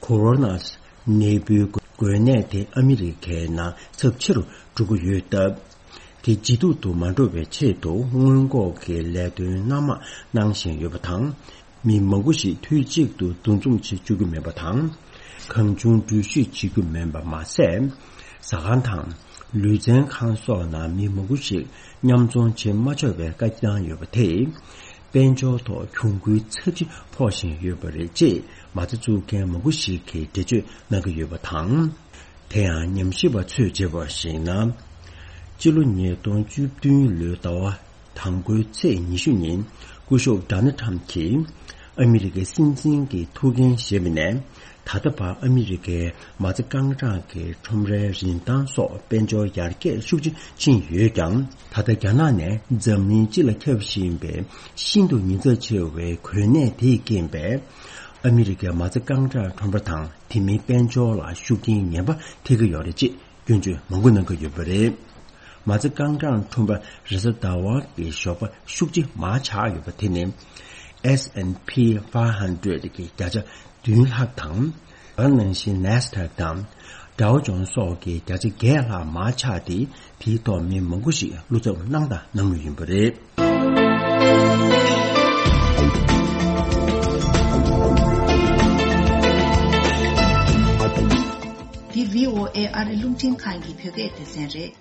ཁོ་རོ་ན་ནད་འབུའི་འགོས་ནད་དེ་ཨ་མི་རི་ཀའི་ནང་ཚབས་ཆེ་རུ་འགྲོ་གི་ཡོད་སྟབས། དེ་ལྗིད་སྡུག་ཏུ་མ་འགྲོ་བའི་ཆེད་དུ་སྔོན་འགོག་གི་ལས་དོན་སྣ་མང་གནང་བཞིན་ཡོད་པ་དང་། མི་མང་པོ་ཞིག་དུས་གཅིག་ཏུ་འདུ་འཛོམས་བྱེད་བཅུག་གི་མེད་པ་དང་། གང་བྱུང་འགྲུལ་བཞུད་བྱེད་རྒྱུ་མིན་པ་མ་ཟད། ཟ་ཁང་དང་ལུས་རྩལ་ཁང་སོགས་ནང་མི་མང་པོ་ཞིག་མཉམ་འཛོམས་བྱེད་མ་ཆོག་པའི་བཀའ་བཏང་ཡོད་པ་དེས། དཔལ་འབྱོར་ཐོག་གྱོང་གུན་ཚབས་ཆེ་ཕོག་བཞིན་ཡོད་པ་རེད་ཅེས་མ་རྩ་བཙུགས་མཁན་མང་པོ་ཞིག་གིས་འགྲེལ་བརྗོད་གནང་གི་ཡོད་པ་དང་། དེ་ཡང་ཉམས་ཞིབ་པ་ཚོས་བརྗོད་པར་གཞིགས་ན། སྤྱི་ལོ་ཉིས་སྟོང་བཅུ་བདུན་ལོའི་ཟླ་བ་དང་པོའི་ཚེས་ཉི་ཤུ་ཉིན་སྐུ་ཞབས་ཌོ་ནལ་ཊམ་གྱིས་ཨ་མི་རི་ཀའི་སྲིད་འཛིན་གྱི་ཐུགས་འགན་བཞེས་པ་ནས། ད་ལྟ་བར་ཨ་མི་རི་ཀའི་མ་རྩ་རྐང་གྲངས་ཀྱི་ཁྲོམ་རའི་རིན་ཐང་སོགས་དཔལ་འབྱོར་ཡར་རྒྱས་ཤུགས་ཆེ་ཕྱིན་ཡོད་ཀྱང་། ད་ལྟ་རྒྱ་ནག་ནས་འཛམ་གླིང་སྤྱི་ལ་ཁྱབ་བཞིན་པའི་ཤིན་ཏུ་ཉེན་ཚབས་ཆེ་བའི་གོ་གནས་དེས་རྐྱེན་པས། ཨ་མི་རི་ཀའི་མ་རྩ་རྐང་གྲངས་ཁྲོམ་ར་དང་དེ་མིན་དཔལ་འབྱོར་ལ་ཤུགས་རྐྱེན་ངན་པ་ཐེབས་ཀྱི་ཡོད་རེད་ཅེས་སྐྱོན་བརྗོད་མང་པོ་གནང་གི་ཡོད་པ་རེད། མ་རྩ་རྐང་གྲངས་ཁྲོམ་ར་རེས་གཟའ་ཟླ་བ་གི་ཞོགས་པ་ཤུགས་ཆེ་མར་ཆག་ཡོད་པ་དེ་ནི་S&P five hundred གི་བརྒྱ་ཆ་བདུན་ལྷག་དང་། ད་ག་ནང་བཞིན་Nasdaq དང་Dow Jones སོགས་ཀྱི་བརྒྱ་ཆ་བརྒྱད་ལྷག་མར་ཆག་སྟེ། དེའི་ཐོག་མི་མང་པོ་ཞིག་བློ་འཚབ་གནང་དང་གནང་མུས་ཡིན་པ་རེད། འདི་V O A ཨ་རི་རླུང་འཕྲིན་ཁང་གི་བོད་སྐད་སྡེ་ཚན་རེད།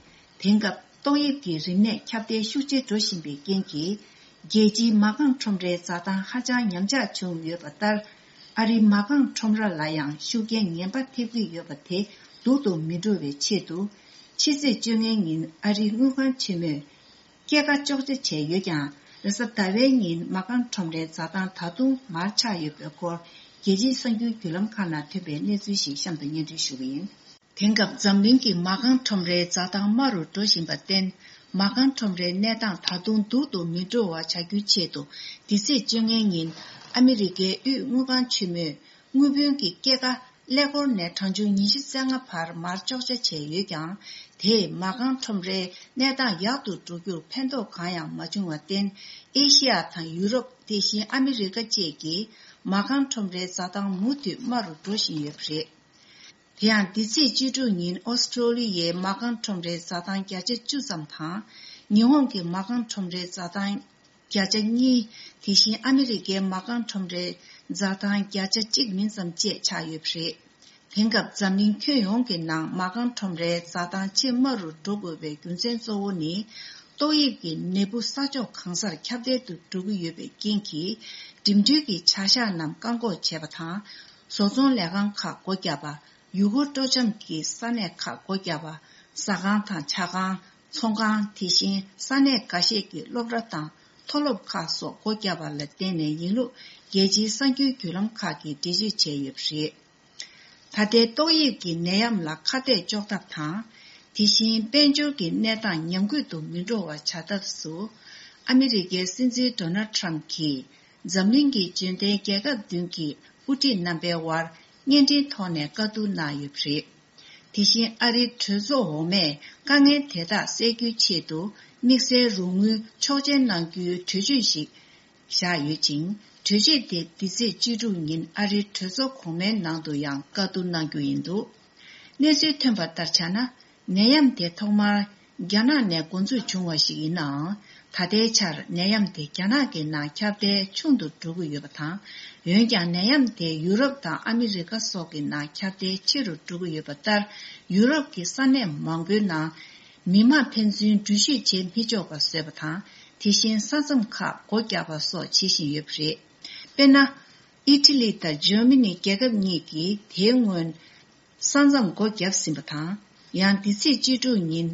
དེང་སྐབས་ཏོག་དབྱིབས་ཀྱི་རིམས་ནད་ཁྱབ་གདལ་ཤུགས་ཆེ་འགྲོ་བཞིན་པའི་རྐྱེན་གྱིས། རྒྱལ་སྤྱིའི་མ་རྐང་ཁྲོམ་རའི་འཛའ་ཐང་ཧ་ཅང་ཉམས་ཆག་བྱུང་ཡོད་པ་ལྟར། ཨ་རིའི་མ་རྐང་ཁྲོམ་ར་ལ་ཡང་ཤུགས་རྐྱེན་ངན་པ་ཐེབས་ཀྱི་ཡོད་པ་དེ་སྡུག་ཏུ་མི་འགྲོ་བའི་ཆེད་དུ། ཕྱི་ཚེས་བཅོ་ལྔའི་ཉིན་ཨ་རིའི་དངུལ་ཁང་ཆེན་མོས་སྐྱེད་ཀ་གཅོག་ཆ་བྱས་ཡོད་ཀྱང་། རེས་གཟའ་ཟླ་བའི་ཉིན་མ་རྐང་ཁྲོམ་རའི་འཛའ་ཐང་ད་དུང་མར་ཆག་ཡོད་པའི་སྐོར། རྒྱལ་སྤྱིའི་གསར་འགྱུར་བརྒྱུད་ལམ་ཁག་ནང་ཐོན་པའི་གནས་ཚུལ་ཞིག་གཤམ་དུ་སྙན་སྒྲོན་ཞུ་གི་ཡིན། དེང་སྐབས་འཛམ་གླིང་གི་མ་རྐང་ཁྲོམ་རའི་འཛའ་ཐང་དམའ་རུ་འགྲོ་བཞིན་པར་བརྟེན། མ་རྐང་ཁྲོམ་རའི་གནས་སྟངས་ད་དུང་སྡུག་ཏུ་མི་འགྲོ་བ་བྱ་རྒྱུའི་ཆེད་དུ། འདི་ཚེས་བཅོ་ལྔའི་ཉིན་ཨ་མི་རི་ཀའི་དབུས་དངུལ་ཁང་ཆེན་མོས་དངུལ་བུན་གྱི་སྐྱེད་ཀ་ཀླད་ཀོར་ནས་གྲངས་ཆུང་ཉི་ཤུ་རྩ་ལྔ་བར་མར་གཅོག་ཆ་བྱས་ཡོད་ཀྱང་། དེས་མ་རྐང་ཁྲོམ་རའི་གནས་སྟངས་ཡག་ཏུ་འགྲོ་རྒྱུར་ཕན་ཐོགས་གང་ཡང་མ་བྱུང་བར་བརྟེན། ཨེ་ཤི་ཡ་དང་ཡུ་རོབ། དེ་བཞིན་ཨ་མི་རི་ཀ་བཅས་ཀྱི་མ་རྐང་ཁྲོམ་རའི་འཛའ་ཐང་མུ་མཐུད་དམའ་རུ་འགྲོ་བཞིན་ཡོད་པ་རེད། དེ་ཡང་འདི་ཚེས་བཅུ་དྲུག་ཉིན་ཨོ་སི་ཀྲོ་ལི་ཡའི་མ་རྐང་ཁྲོམ་རའི་འཛའ་ཐང་བརྒྱ་ཆ་བཅུ་ཙམ་དང་། ཉི་ཧོང་གི་མ་རྐང་ཁྲོམ་རའི་འཛའ་ཐང་བརྒྱ་ཆ་གཉིས། དེ་བཞིན་ཨ་མི་རི་ཀའི་མ་རྐང་ཁྲོམ་རའི་འཛའ་ཐང་བརྒྱ་ཆ་གཅིག་མིན་ཙམ་བཅས་ཆག་ཡོད་པ་རེད། དེང་སྐབས་འཛམ་གླིང་ཁྱོན་ཡོངས་ཀྱི་ནང་མ་རྐང་ཁྲོམ་རའི་འཛའ་ཐང་ཆེས་དམའ་རུ་འགྲོ་དགོས་པའི་རྒྱུ་མཚན་གཙོ་བོ་ནི། ཏོག་དབྱིབས་ཀྱི་ནད་འབུ་ས་ཕྱོགས་གང་སར་ཁྱབ་གདལ་དུ་འགྲོ་གི་ཡོད་པའི་རྐྱེན་གྱིས། འགྲིམ་འགྲུལ་གྱི་བྱ་གཞག་རྣམས་བཀག་འགོག་བྱས་པ་དང་། བཟོ་ཚོང་ལས་ཁང་ཁག་སྒོ་བརྒྱབ་པ། ཡུལ་སྐོར་སྤྲོ་འཆམ་གྱི་ས་གནས་ཁག་སྒོ་བརྒྱབ་པ། ཟ་ཁང་དང་ཇ་ཁང་། ཚོང་ཁང་། དེ་བཞིན་ས་གནས་འགའ་ཤས་ཀྱི་སློབ་གྲྭ་དང་མཐོ་སློབ་ཁག་སོགས་སྒོ་བརྒྱབ་པ་ལ་བརྟེན་ནས་ཡིན་ལུགས། རྒྱལ་སྤྱིའི་གསར་འགྱུར་བརྒྱུད་ལམ་ཁག་གིས་འགྲེལ་བརྗོད་བྱས་ཡོད་པ་རེད། ད་ལྟའི་ཏོག་དབྱིབས་ཀྱི་ནད་ཡམས་ལ་ཁ་གཏད་གཅོག་ཐབས་དང་། དེ་བཞིན་དཔལ་འབྱོར་གྱི་གནས་སྟངས་ཉམས་རྒུད་དུ་མི་འགྲོ་བ་བྱ་ཐབས་སུ། ཨ་མི་རི་ཀའི་སྲིད་འཛིན་ཌོ་ནལ་ཊམ་གྱིས། འཛམ་གླིང་གི་འབྱོར་ལྡན་རྒྱལ་ཁབ་བདུན་གྱི་དབུ་ཁྲིད་རྣམ་པའི་དབར་བརྙན་འཕྲིན་ཐོག་ནས་བཀའ་བསྡུར་གནང་ཡོད་པ་རེད། དེ་བཞིན་ཨ་རིའི་གྲོས་ཚོགས་འོག་མས་དཀའ་ངལ་དེ་དག་སེལ་རྒྱུའི་ཆེད་དུ། དམིགས་བསལ་རོགས་དངུལ་ཆོག་མཆན་གནང་རྒྱུའི་གྲོས་ཆོད་ཞིག་བཞག་ཡོད་ཅིང་། གྲོས་ཆོད་དེ་འདི་ཚེས་བཅུ་དྲུག་ཉིན་ཨ་རིའི་གྲོས་ཚོགས་གོང་མའི་ནང་དུ་ཡང་བཀའ་བསྡུར་གནང་རྒྱུ་ཡིན་འདུག་གནས་ཚུལ་ཐོན་པ་ལྟར་ཆ་ན། ནད་ཡམས་དེ་ཐོག་མར་རྒྱ་ནག་ནས་འགོ་འཛུགས་བྱུང་བ་ཞིག་ཡིན་ནའང་། ད་ལྟའི་ཆར་ནད་ཡམས་དེ་རྒྱ་ནག་གི་ནང་ཁྱབ་གདལ་ཆུང་དུ་འགྲོ་གི་ཡོད་པ་དང་། འོན་ཀྱང་ནད་ཡམས་དེ་ཡུ་རོབ་དང་ཨ་མི་རི་ཀ་སོགས་ཀྱི་ནང་ཁྱབ་གདལ་ཆེ་རུ་འགྲོ་གི་ཡོད་པ་ལྟར། ཡུ་རོབ་ཀྱི་ས་གནས་མང་པོའི་ནང་མི་མང་ཕན་ཚུན་འགྲུལ་བཞུད་བྱེད་མི་ཆོག་པ་བཟོས་པ་དང་། དེ་བཞིན་ས་མཚམས་ཁག་སྒོ་བརྒྱབ་པ་སོགས་བྱེད་བཞིན་ཡོད་པ་རེད། དཔེར་ན། ཨི་ཊ་ལི་དང་འཇར་མ་ནི་རྒྱལ་ཁབ་གཉིས་ཀྱིས་དེའི་སྔོན། ས་མཚམས་སྒོ་བརྒྱབ་ཟིན་པ་དང་། ཡང་འདི་ཚེས་བཅུ་དྲུག་ཉིན།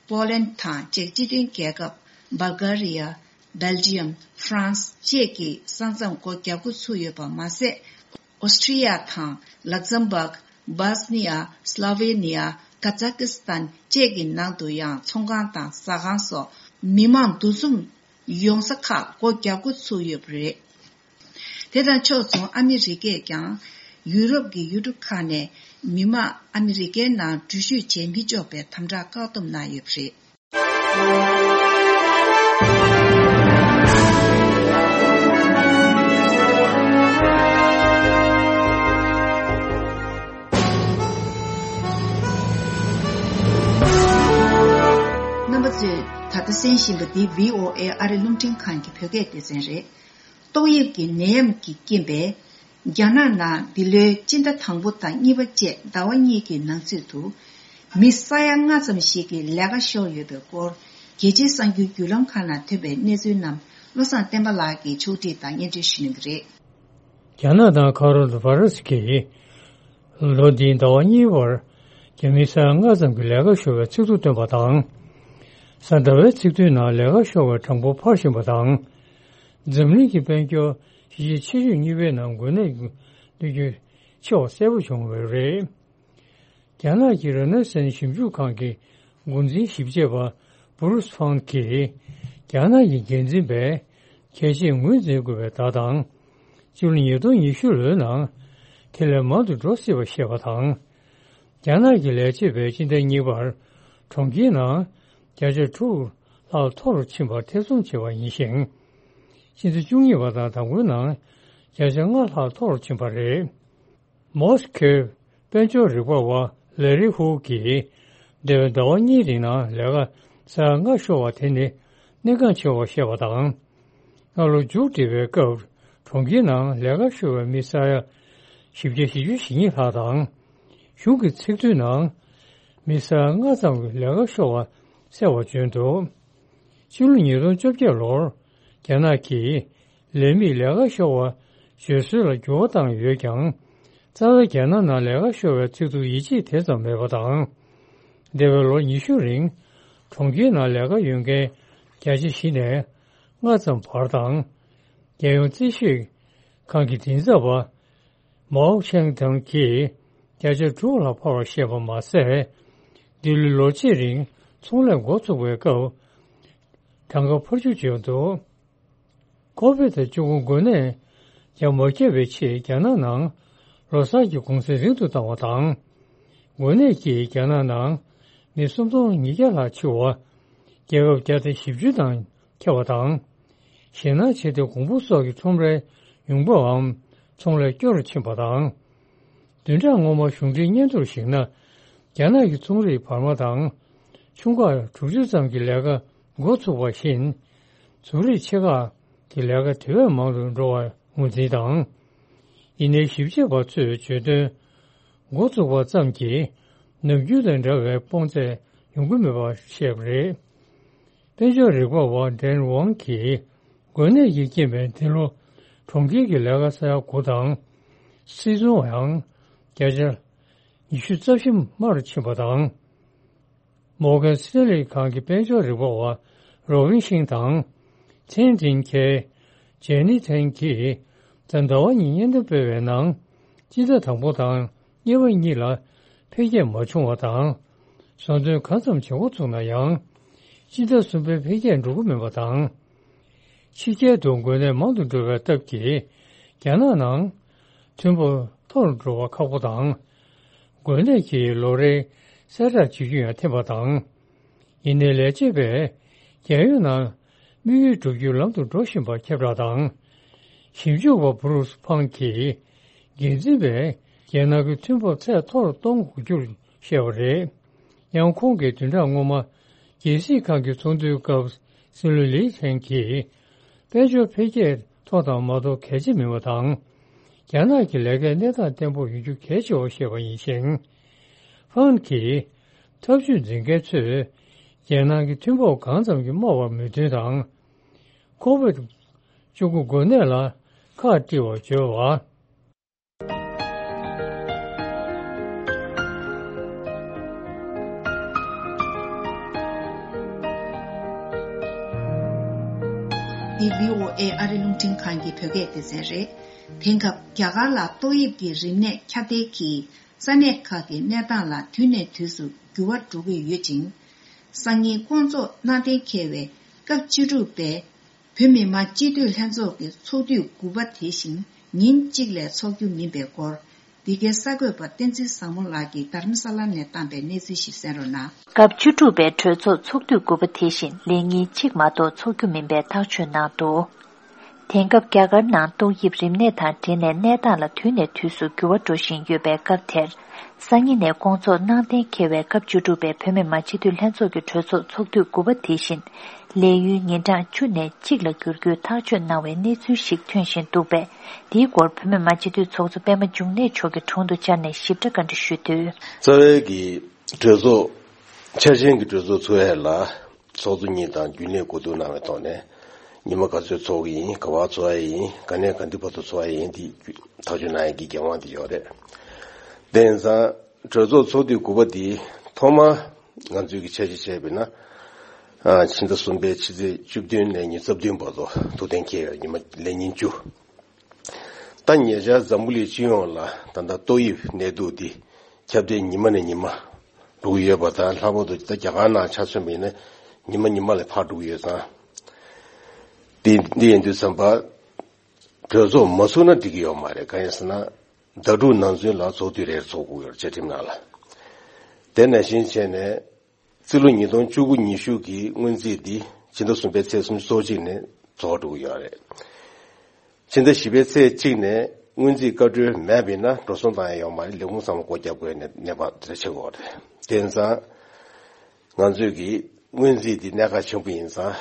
པོ་ལན་དང་ཅེཀ་སྤྱི་མཐུན་རྒྱལ་ཁབ། སྦལ་གྷ་རི་ཡ། སྦེལ་ཇི་ཡམ། ཧྥ་རན་སི་བཅས་ཀྱིས་ས་མཚམས་སྒོ་བརྒྱབ་འགོ་ཚུགས་ཡོད་པ་མ་ཟད། ཨོ་སི་ཁྲི་ཡ་དང་། ལག་ཛམ་བྷག། སྦོ་སི་ནི་ཡ། སློ་ཝེ་ནི་ཡ། ཀ་ཛ་ཀི་སི་ཐན་བཅས་ཀྱི་ནང་དུ་ཡང་ཚོང་ཁང་དང་ཟ་ཁང་སོགས་མི་མང་འདུ་འཛོམས་ཡོང་ས་ཁག་སྒོ་བརྒྱབ་འགོ་ཚུགས་ཡོད་པ་རེད། དེ་དང་ཕྱོགས་མཚུངས་ཨ་མི་རི་ཀས་ཀྱང་ཡུ་རོབ་ཀྱི་ཡུལ་གྲུ་ཁག་ནས་མི་མང་ཨ་མི་རི་ཀའི་ནང་འགྲུལ་བཞུད་བྱེད་མི་ཆོག་པའི་དམ་དྲག་བཀག་སྡོམ་གནང་ཡོད་པ་རེད། རྣམ་པ་ཚོས་ད་ལྟ་གསན་བཞིན་པ་འདི་བྷི་ཨོ་ཨེ་ཨ་རི་རླུང་འཕྲིན་ཁང་གི་བོད་སྐད་སྡེ་ཚན་རེད། ཏོག་དབྱིབས་ཀྱི་ནད་ཡམས་ཀྱི་རྐྱེན་པས། རྒྱ་ནག་ནང་འདི་ལོའི་སྤྱི་ཟླ་དང་པོ་དང་གཉིས་པ་བཅས་ཟླ་བ་གཉིས་ཀྱི་ནང་ཚུད་དུ། མི་ས་ཡ་ལྔ་ཙམ་ཞིག་གི་ལས་ཀ་ཤོར་ཡོད་པའི་སྐོར། རྒྱལ་སྤྱིའི་གསར་འགྱུར་བརྒྱུད་ལམ་ཁག་ནང་ཐོན་པའི་གནས་ཚུལ་རྣམས། བློ་བཟང་བསྟན་པ་ལགས་ཀྱིས་ཕྱོགས་སྒྲིག་དང་སྙན་སྒྲོན་ཞུ་གནང་གི་རེད། རྒྱ་ནག་དང་ཁ་རོ་ལ་བྷ་ར་སི་གིས་ལོ་འདིའི་ཟླ་བ་གཉིས་བར་རྒྱ་མིའི་ས་ཡ་ལྔ་ཙམ་གྱི་ལས་ཀ་ཤོར་བའི་ཚིག་ཐོ་བཏོན་པ་དང་། གཟའ་ཟླ་བའི་ཚིག་ཐོའི་ནང་ལས་ཀ་ཤོར་བའི་གྲངས་འབོར་འཕར་བཞིན་པ་དང་། འཛམ་གླིང་གི་དཔལ་འབྱོར་གཞིས་བྱེས་ཆེ་ཤོས་གཉིས་པའི་ནང་འགོས་ནད་གནོད་སྐྱོན་ཆེ་བ་གསལ་པོ་བྱུང་བ་རེད། རྒྱ་ནག་གི་རེ་ནེ་སན་ཞིབ་འཇུག་ཁང་གི་འགོ་འཛིན་ཞིབ་དཔྱད་པ་བུ་རུས་ཕང་གིས། རྒྱ་ནག་གི་འགན་འཛིན་པས་གལ་ཆེ་ངོས་འཛིན་དགོས་པའི་བརྡ་དང་། སྤྱི་ལོ་ཉིས་སྟོང་ཉི་ཤུ་ལོའི་ནང་དེ་ལས་མང་དུ་འགྲོ་སྲིད་པ་བཤད་པ་དང་། རྒྱ་ནག་གི་ལས་བྱེད་པས་སྤྱི་ཟླ་གཉིས་པར་གྲོང་ཁྱེར་ནང་བརྒྱ་ཆ་དྲུག་ལྷག་མཐོ་རུ་ཕྱིན་པར་ཐེ་ཚོམ་བྱས་པ་ཡིན་ཞིང་། སྤྱི་ཟླ་བཅུ་གཉིས་པ་དང་དང་པོའི་ནང་བརྒྱ་ཆ་ལྔ་ལྷག་མཐོ་རུ་ཕྱིན་པ་རེད། མོ་སི་ཁོའི་དཔལ་འབྱོར་རིག་པ་བ་ལེ་རི་ཧུའུ་གིས། འདས་པའི་ཟླ་བ་གཉིས་རིང་ནང་ལས་ཀ་ས་ཡ་ལྔ་ཤོར་བ་དེ་ནི་གནད་འགག་ཆེ་བར་བཤད་པ་དང་། སྔ་ལོ་མཇུག་སྒྲིལ་བའི་སྐབས་གྲོང་ཁྱེར་ནང་ལས་ཀ་ཤོར་བའི་མི་ས་ཡ་བཞི་བརྒྱ་བཞི་བཅུ་ཞེ་གཉིས་ལྷག་དང་། གཞུང་གི་ཚིག་མཛོད་ནང་མི་ས་ཡ་ལྔ་ཙམ་གྱི་ལས་ཀ་ཤོར་བ་གསལ་བར་བྱོན་འདུག་ཕྱི་ལོ་ཉིས་སྟོང་བཅོ་བརྒྱད་ལོར་རྒྱ་ནག་གིས་ལས་མིས་ལས་ཀ་ཤོར་བ་བརྗོད་སྲོལ་ལ་འགྱུར་བ་བཏང་ཡོད་ཀྱང་། རྩ་བའི་རྒྱ་ནག་ནང་ལས་ཀ་ཤོར་བའི་ཚིག་ཐོ་ཡིད་ཆེས་དེ་ཙམ་མེད་པ་དང་། འདས་པའི་ལོ་ཉི་ཤུ་རིང་གྲོང་ཁྱེར་ནང་ལས་ཀ་ཡོད་མཁན་བརྒྱ་ཆ་བཞི་ནས་ལྔ་ཙམ་བར་དང་། རྒྱལ་ཡོངས་རྩིས་ཞིབ་ཁང་གི་མགྲིན་ཚབ་པ་མའོ་ཆེང་ཐང་གིས་བརྒྱ་ཆ་དྲུག་ལ་འཕར་བར་བཤད་པ་མ་ཟད། འདི་ལོའི་ལོ་གཅིག་རིང་ཚོང་ལས་འགོ་ཚུགས་པའི་སྐབས་གྲངས་ཀ་འཕར་འགྱུར་བྱུང་འདུག་ཁོ་བིད་བཅུ་དགུ་འགོས་ནད་ཡང་མ་ཁྱབ་པའི་ཆེད་རྒྱ་ནག་ནང་ལོ་གསར་གྱི་གུང་སེང་རིང་དུ་བཏང་བ་དང་། འགོས་ནད་ཀྱིས་རྒྱ་ནག་ནང་མི་སུམ་སྟོང་ཉིས་བརྒྱ་ལྷག་འཆི་བ། རྒྱལ་ཁབ་བརྒྱ་དང་བཞི་བཅུ་དང་ཁྱབ་པ་དང་། ཞེད་སྣང་ཆེ་སྟེ་གོང་བུ་སོགས་ཀྱི་ཁྲོམ་རའི་ཡོང་འབབ་བམ་ཚོང་ལས་སྐྱོ་རུ་ཕྱིན་པ་དང་། བདུན་ཕྲག་སྔོན་མ་གཞུང་འབྲེལ་སྙན་ཐོར་གཞིགས་ན། རྒྱ་ནག་གི་ཚོང་རིགས་བར་མ་དང་ཆུང་ཁག་དྲུག་ཅུ་ཙམ་གྱི་ལས་ཀ་འགོ་ཚུགས་པ་བཞིན། ཟུར་རིགས་ཆེ་ཁག་གི་ལས་ཀ་དེ་བས་མང་དུ་འགྲོ་བར་ངོས་འཛིན་དང་། ཡིན་ནའི་ཞིབ་དཔྱད་པ་ཚོས་བརྗོད་དོན། འགོ་བཙུགས་པ་ཙམ་གྱིས་ནམ་རྒྱུན་དང་འདྲ་བའི་དཔུང་ཚད་ཡོང་གི་མེད་པར་བཤད་པ་རེད། དཔལ་འབྱོར་རིག་པ་བ་ཌེན་ཝང་གིས་འགོས་ནད་ཀྱི་རྐྱེན་པས་འདི་ལོ་གྲོང་ཁྱེར་གྱི་ལས་ཀ་ས་ཡ་དགུ་དང་། སིལ་ཚོང་ཡང་བརྒྱ་ཆ་ཉི་ཤུ་རྩ་བཞི་དམའ་རུ་ཕྱིན་པ་དང་། མོར་གན་སི་ཏེ་ལི་ཁང་གི་དཔལ་འབྱོར་རིག་པ་བ་རོ་ཝིན་ཤིང་དང་། ཚན་ཏིན་ཁེ། ཇེ་ནི་ཐན་གྱིས་གཟའ་ཟླ་བ་ཉིན་སྙན་ཐོ་སྤེལ་བའི་ནང་། སྤྱི་ཟླ་དང་པོ་དང་གཉིས་པ་གཉིས་ལ་འཕེལ་རྒྱས་མ་བྱུང་བ་དང་། བཟོ་འདོན་གང་ཙམ་བྱེད་འགོ་ཚུགས་ན་ཡང་། སྤྱི་ཟླ་གསུམ་པའི་འཕེལ་རྒྱས་འགྲོ་གི་མིན་པ་དང་། ཕྱི་རྒྱལ་དུ་འགོས་ནད་མང་དུ་འགྲོ་བའི་སྟབས་ཀྱིས། རྒྱ་ནག་ནང་མཐུན་པ་མཐོ་རུ་འགྲོ་བ་ཁག་པོ་དང་། འགོས་ནད་ཀྱིས་ལོ་རེའི་གསལ་བསྒྲགས་བྱེད་རྒྱུ་ཡང་འཐེན་པ་དང་། ཡིན་ནའི་ལས་བྱེད་པས་རྒྱལ་ཡོངས་ནང་དམིགས་ཡུལ་བསྒྲུབ་རྒྱུའི་ལམ་དུ་འགྲོ་བཞིན་པ་ཁྱབ་བསྒྲགས་དང་། ཞིབ་འཇུག་པ་བུ་རུས་ཕང་གིས་འགན་འཛིན་པས་རྒྱལ་ནང་གི་མཐུན་པ་ཚད་མཐོ་རུ་གཏོང་དགོས་རྒྱུར་བཤད་པ་རེད། ཡང་ཁོང་གིས་བདུན་ཕྲག་སྔོན་མ་རྒྱལ་སྲིད་ཁང་གི་ཚོགས་འདུའི་སྐབས་སྲིད་བློན་ལི་ཐན་གྱིས་དཔལ་འབྱོར་འཕེལ་རྒྱས་མཐོ་དང་མ་མཐོ་གལ་ཆེ་མིན་པ་དང་། རྒྱ་ནག་གི་ལས་ཀའི་གནས་སྟངས་བརྟན་པོ་ཡོང་རྒྱུ་གལ་ཆེ་བར་བཤད་པ་ཡིན་ཞིང་། ཧྥང་གིས་ཐབས་ཇུས་འཛིན་མཁན་ཚོས་རྒྱལ་ནང་གི་མཐུན་ཕོགས་གང་ཙམ་གྱིས་དམའ་བར་མོས་མཐུན་དང་། ཁོ་བིད་བཅུ་དགུ་འགོས་ནད་ལ་ཁག་དཀྲིས་པར་བརྗོད་པ། འདི་བྷི་ཨོ་ཨེ་ཨ་རི་རླུང་འཕྲིན་ཁང་གི་བོད་སྐད་སྡེ་ཚན་རེད། དེང་སྐབས་རྒྱ་གར་ལ་ཏོག་དབྱིབས་ཀྱི་རིམས་ནད་ཁྱབ་གདལ་གྱིས་ས་གནས་ཁག་གི་གནས་སྟངས་ལ་དུས་ནས་དུས་སུ་འགྱུར་བ་འགྲོ་གི་ཡོད་ཅིང་། སང་ཉིན་སྐོང་ཚོགས་གནང་གཏན་འཁེལ་བའི་སྐབས་བཅུ་དྲུག་པའི་བོད་མི་མང་སྤྱི་འཐུས་ལྷན་ཚོགས་ཀྱི་ཚོགས་དུས་དགུ་པ་དེ་བཞིན་ཉིན་གཅིག་ལས་འཚོགས་རྒྱུ་མིན་པའི་སྐོར། འདི་གའི་གསར་འགོད་པ་བསྟན་འཛིན་བཟང་མོ་ལགས་ཀྱིས་རྡ་རམ་ས་ལ་ནས་བཏང་པའི་གནས་ཚུལ་ཞིག་གསན་རོགས་གནང་། སྐབས་བཅུ་དྲུག་པའི་གྲོས་ཚོགས་ཚོགས་དུས་དགུ་པ་དེ་བཞིན་ལས་ཉིན་གཅིག་མ་གཏོགས་འཚོགས་རྒྱུ་མིན་པའི་ཐག་གཅོད་གནང་འདུག་དེང་སྐབས་རྒྱ་གར་ནང་ཏོག་དབྱིབས་རིམས་ནད་དང་འབྲེལ་ནས་གནས་སྟངས་ལ་དུས་ནས་དུས་སུ་འགྱུར་བ་འགྲོ་བཞིན་ཡོད་པའི་སྐབས་དེར། སང་ཉིན་ནས་སྐོང་ཚོགས་གནང་གཏན་འཁེལ་བའི་སྐབས་བཅུ་དྲུག་པའི་བོད་མི་མང་སྤྱི་འཐུས་ལྷན་ཚོགས་ཀྱི་གྲོས་ཚོགས་ཚོགས་དུས་དགུ་པ་དེ་བཞིན། ལས་ཡུན་ཉིན་གྲངས་བཅུ་ནས་གཅིག་ལ་འགྱུར་རྒྱུའི་ཐག་གཅོད་གནང་བའི་གནས་ཚུལ་ཞིག་ཐོན་བཞིན་འདུག་པས། འདིའི་སྐོར་བོད་མི་མང་སྤྱི་འཐུས་ཚོགས་གཙོ་པད་མ་འབྱུང་གནས་མཆོག་གི་དྲུང་དུ་བཅར་ནས་ཞིབ་ཕྲ་བཀའ་འདྲི་ཞུས་དུས། རྩ་བའི་གི་གྲོས་ཚོགས་འཆར་ཅན་གྱི་གྲོས་ཚོགས་ཚུགས་ཡས་ལ་ཚོགས་གཙོ་གཉིས་དང་རྒྱུན་ལས་གོ་བསྡུར་གནང་བའི་ཐོག་ནས་ ཉི་མ་ག་ཚོད་འཚོགས་ཀྱི་ཡིན། ག་བར་འཚོགས་ཡ་ཡིན། ག་ནས་ག་དུས་བར་དུ་འཚོགས་ཡ་ཡིན། དེ་ཐག་གཅོད་གནང་ཡ་གི་འགན་དབང་དེ་ཡོད་རེད། དེ་ཡིན་ཙང་གྲོས་ཚོགས་ཚོགས་དུས་དགུ་པ་དེ་ཐོག་མ་ང་ཚོས་ཀྱི་འཆར་གཞི་བྱས་པ་ཡིན་ན། ཨ། ཕྱི་ཟླ་གསུམ་པའི་ཕྱི་ཚེས་བཅུ་བདུན་ནས་ཉི་ཤུ་རྩ་བདུན་བར་དུ་ཐུགས་གཏན་འཁེལ་ཡོད། ཉི་མ་ལས་ཉིན་བཅུ། ད་ཉེ་ཆར་འཛམ་བུ་གླིང་སྤྱི་ཡོངས་ལ་ད་ལྟ་ཏོག་དབྱིབས་ནད་དུག་འདི་ཁྱབ་གདལ་ཉི་མ་ནས་ཉི་མ་འགྲོ་གི་ཡོད་པ་དང་། ལྷག་པར་དུ་ད་རྒྱ་གར་ནང་ཆ་མཚོན་པ་ཡིན་ན་ཉི་མ་ཉི་མ་ལ་འཕར་འགྲོ་གི་ཡོད་ཙང་། དེ་འདི་ཡིན་དུས་ཙམ་པ་གྲོས་ཚོགས་མ་ཚུགས་ན་འགྲིག་གི་ཡོད་མ་རེད། གང་ཡིན་ཟེར་ན་ཟླ་དྲུག་ནང་ཚུན་ལ་ཚོགས་དུས་རེར་ཚོགས་དགོས་ཡོད་རེད། བཅའ་ཁྲིམས་ནང་ལ། དེ་ནང་བཞིན་བྱས་ནས། རྩིས་ལོ་ཉིས་སྟོང་བཅུ་དགུ་ཉི་ཤུ་གི་སྔོན་རྩིས་འདི་ཕྱི་ཟླ་གསུམ་པའི་ཚེས་སུམ་ཅུ་སོ་གཅིག་ནས་རྫོགས་འགྲོ་གི་ཡོད་རེད། ཕྱི་ཟླ་བཞི་པའི་ཚེས་གཅིག་ནས་སྔོན་རྩིས་བཀའ་འཁྲོལ་མེད་པ་ཡིན་ན་འགྲོ་སོང་བཏང་ཡ་ཡོད་མ་རེད། ལས་ཁུངས་ཚང་མ་སྒོ་བརྒྱབ་དགོས་ནས་གནས་བབ་དེ་འདྲ་ཆགས་ཀྱི་ཡོད་རེད། དེ་ཡིན་ཙང་ང་ཚོས་ཀྱི་སྔོན་རྩིས་འདི་གནད་འགག་ཆེན་པོ་ཡིན་ཙང་།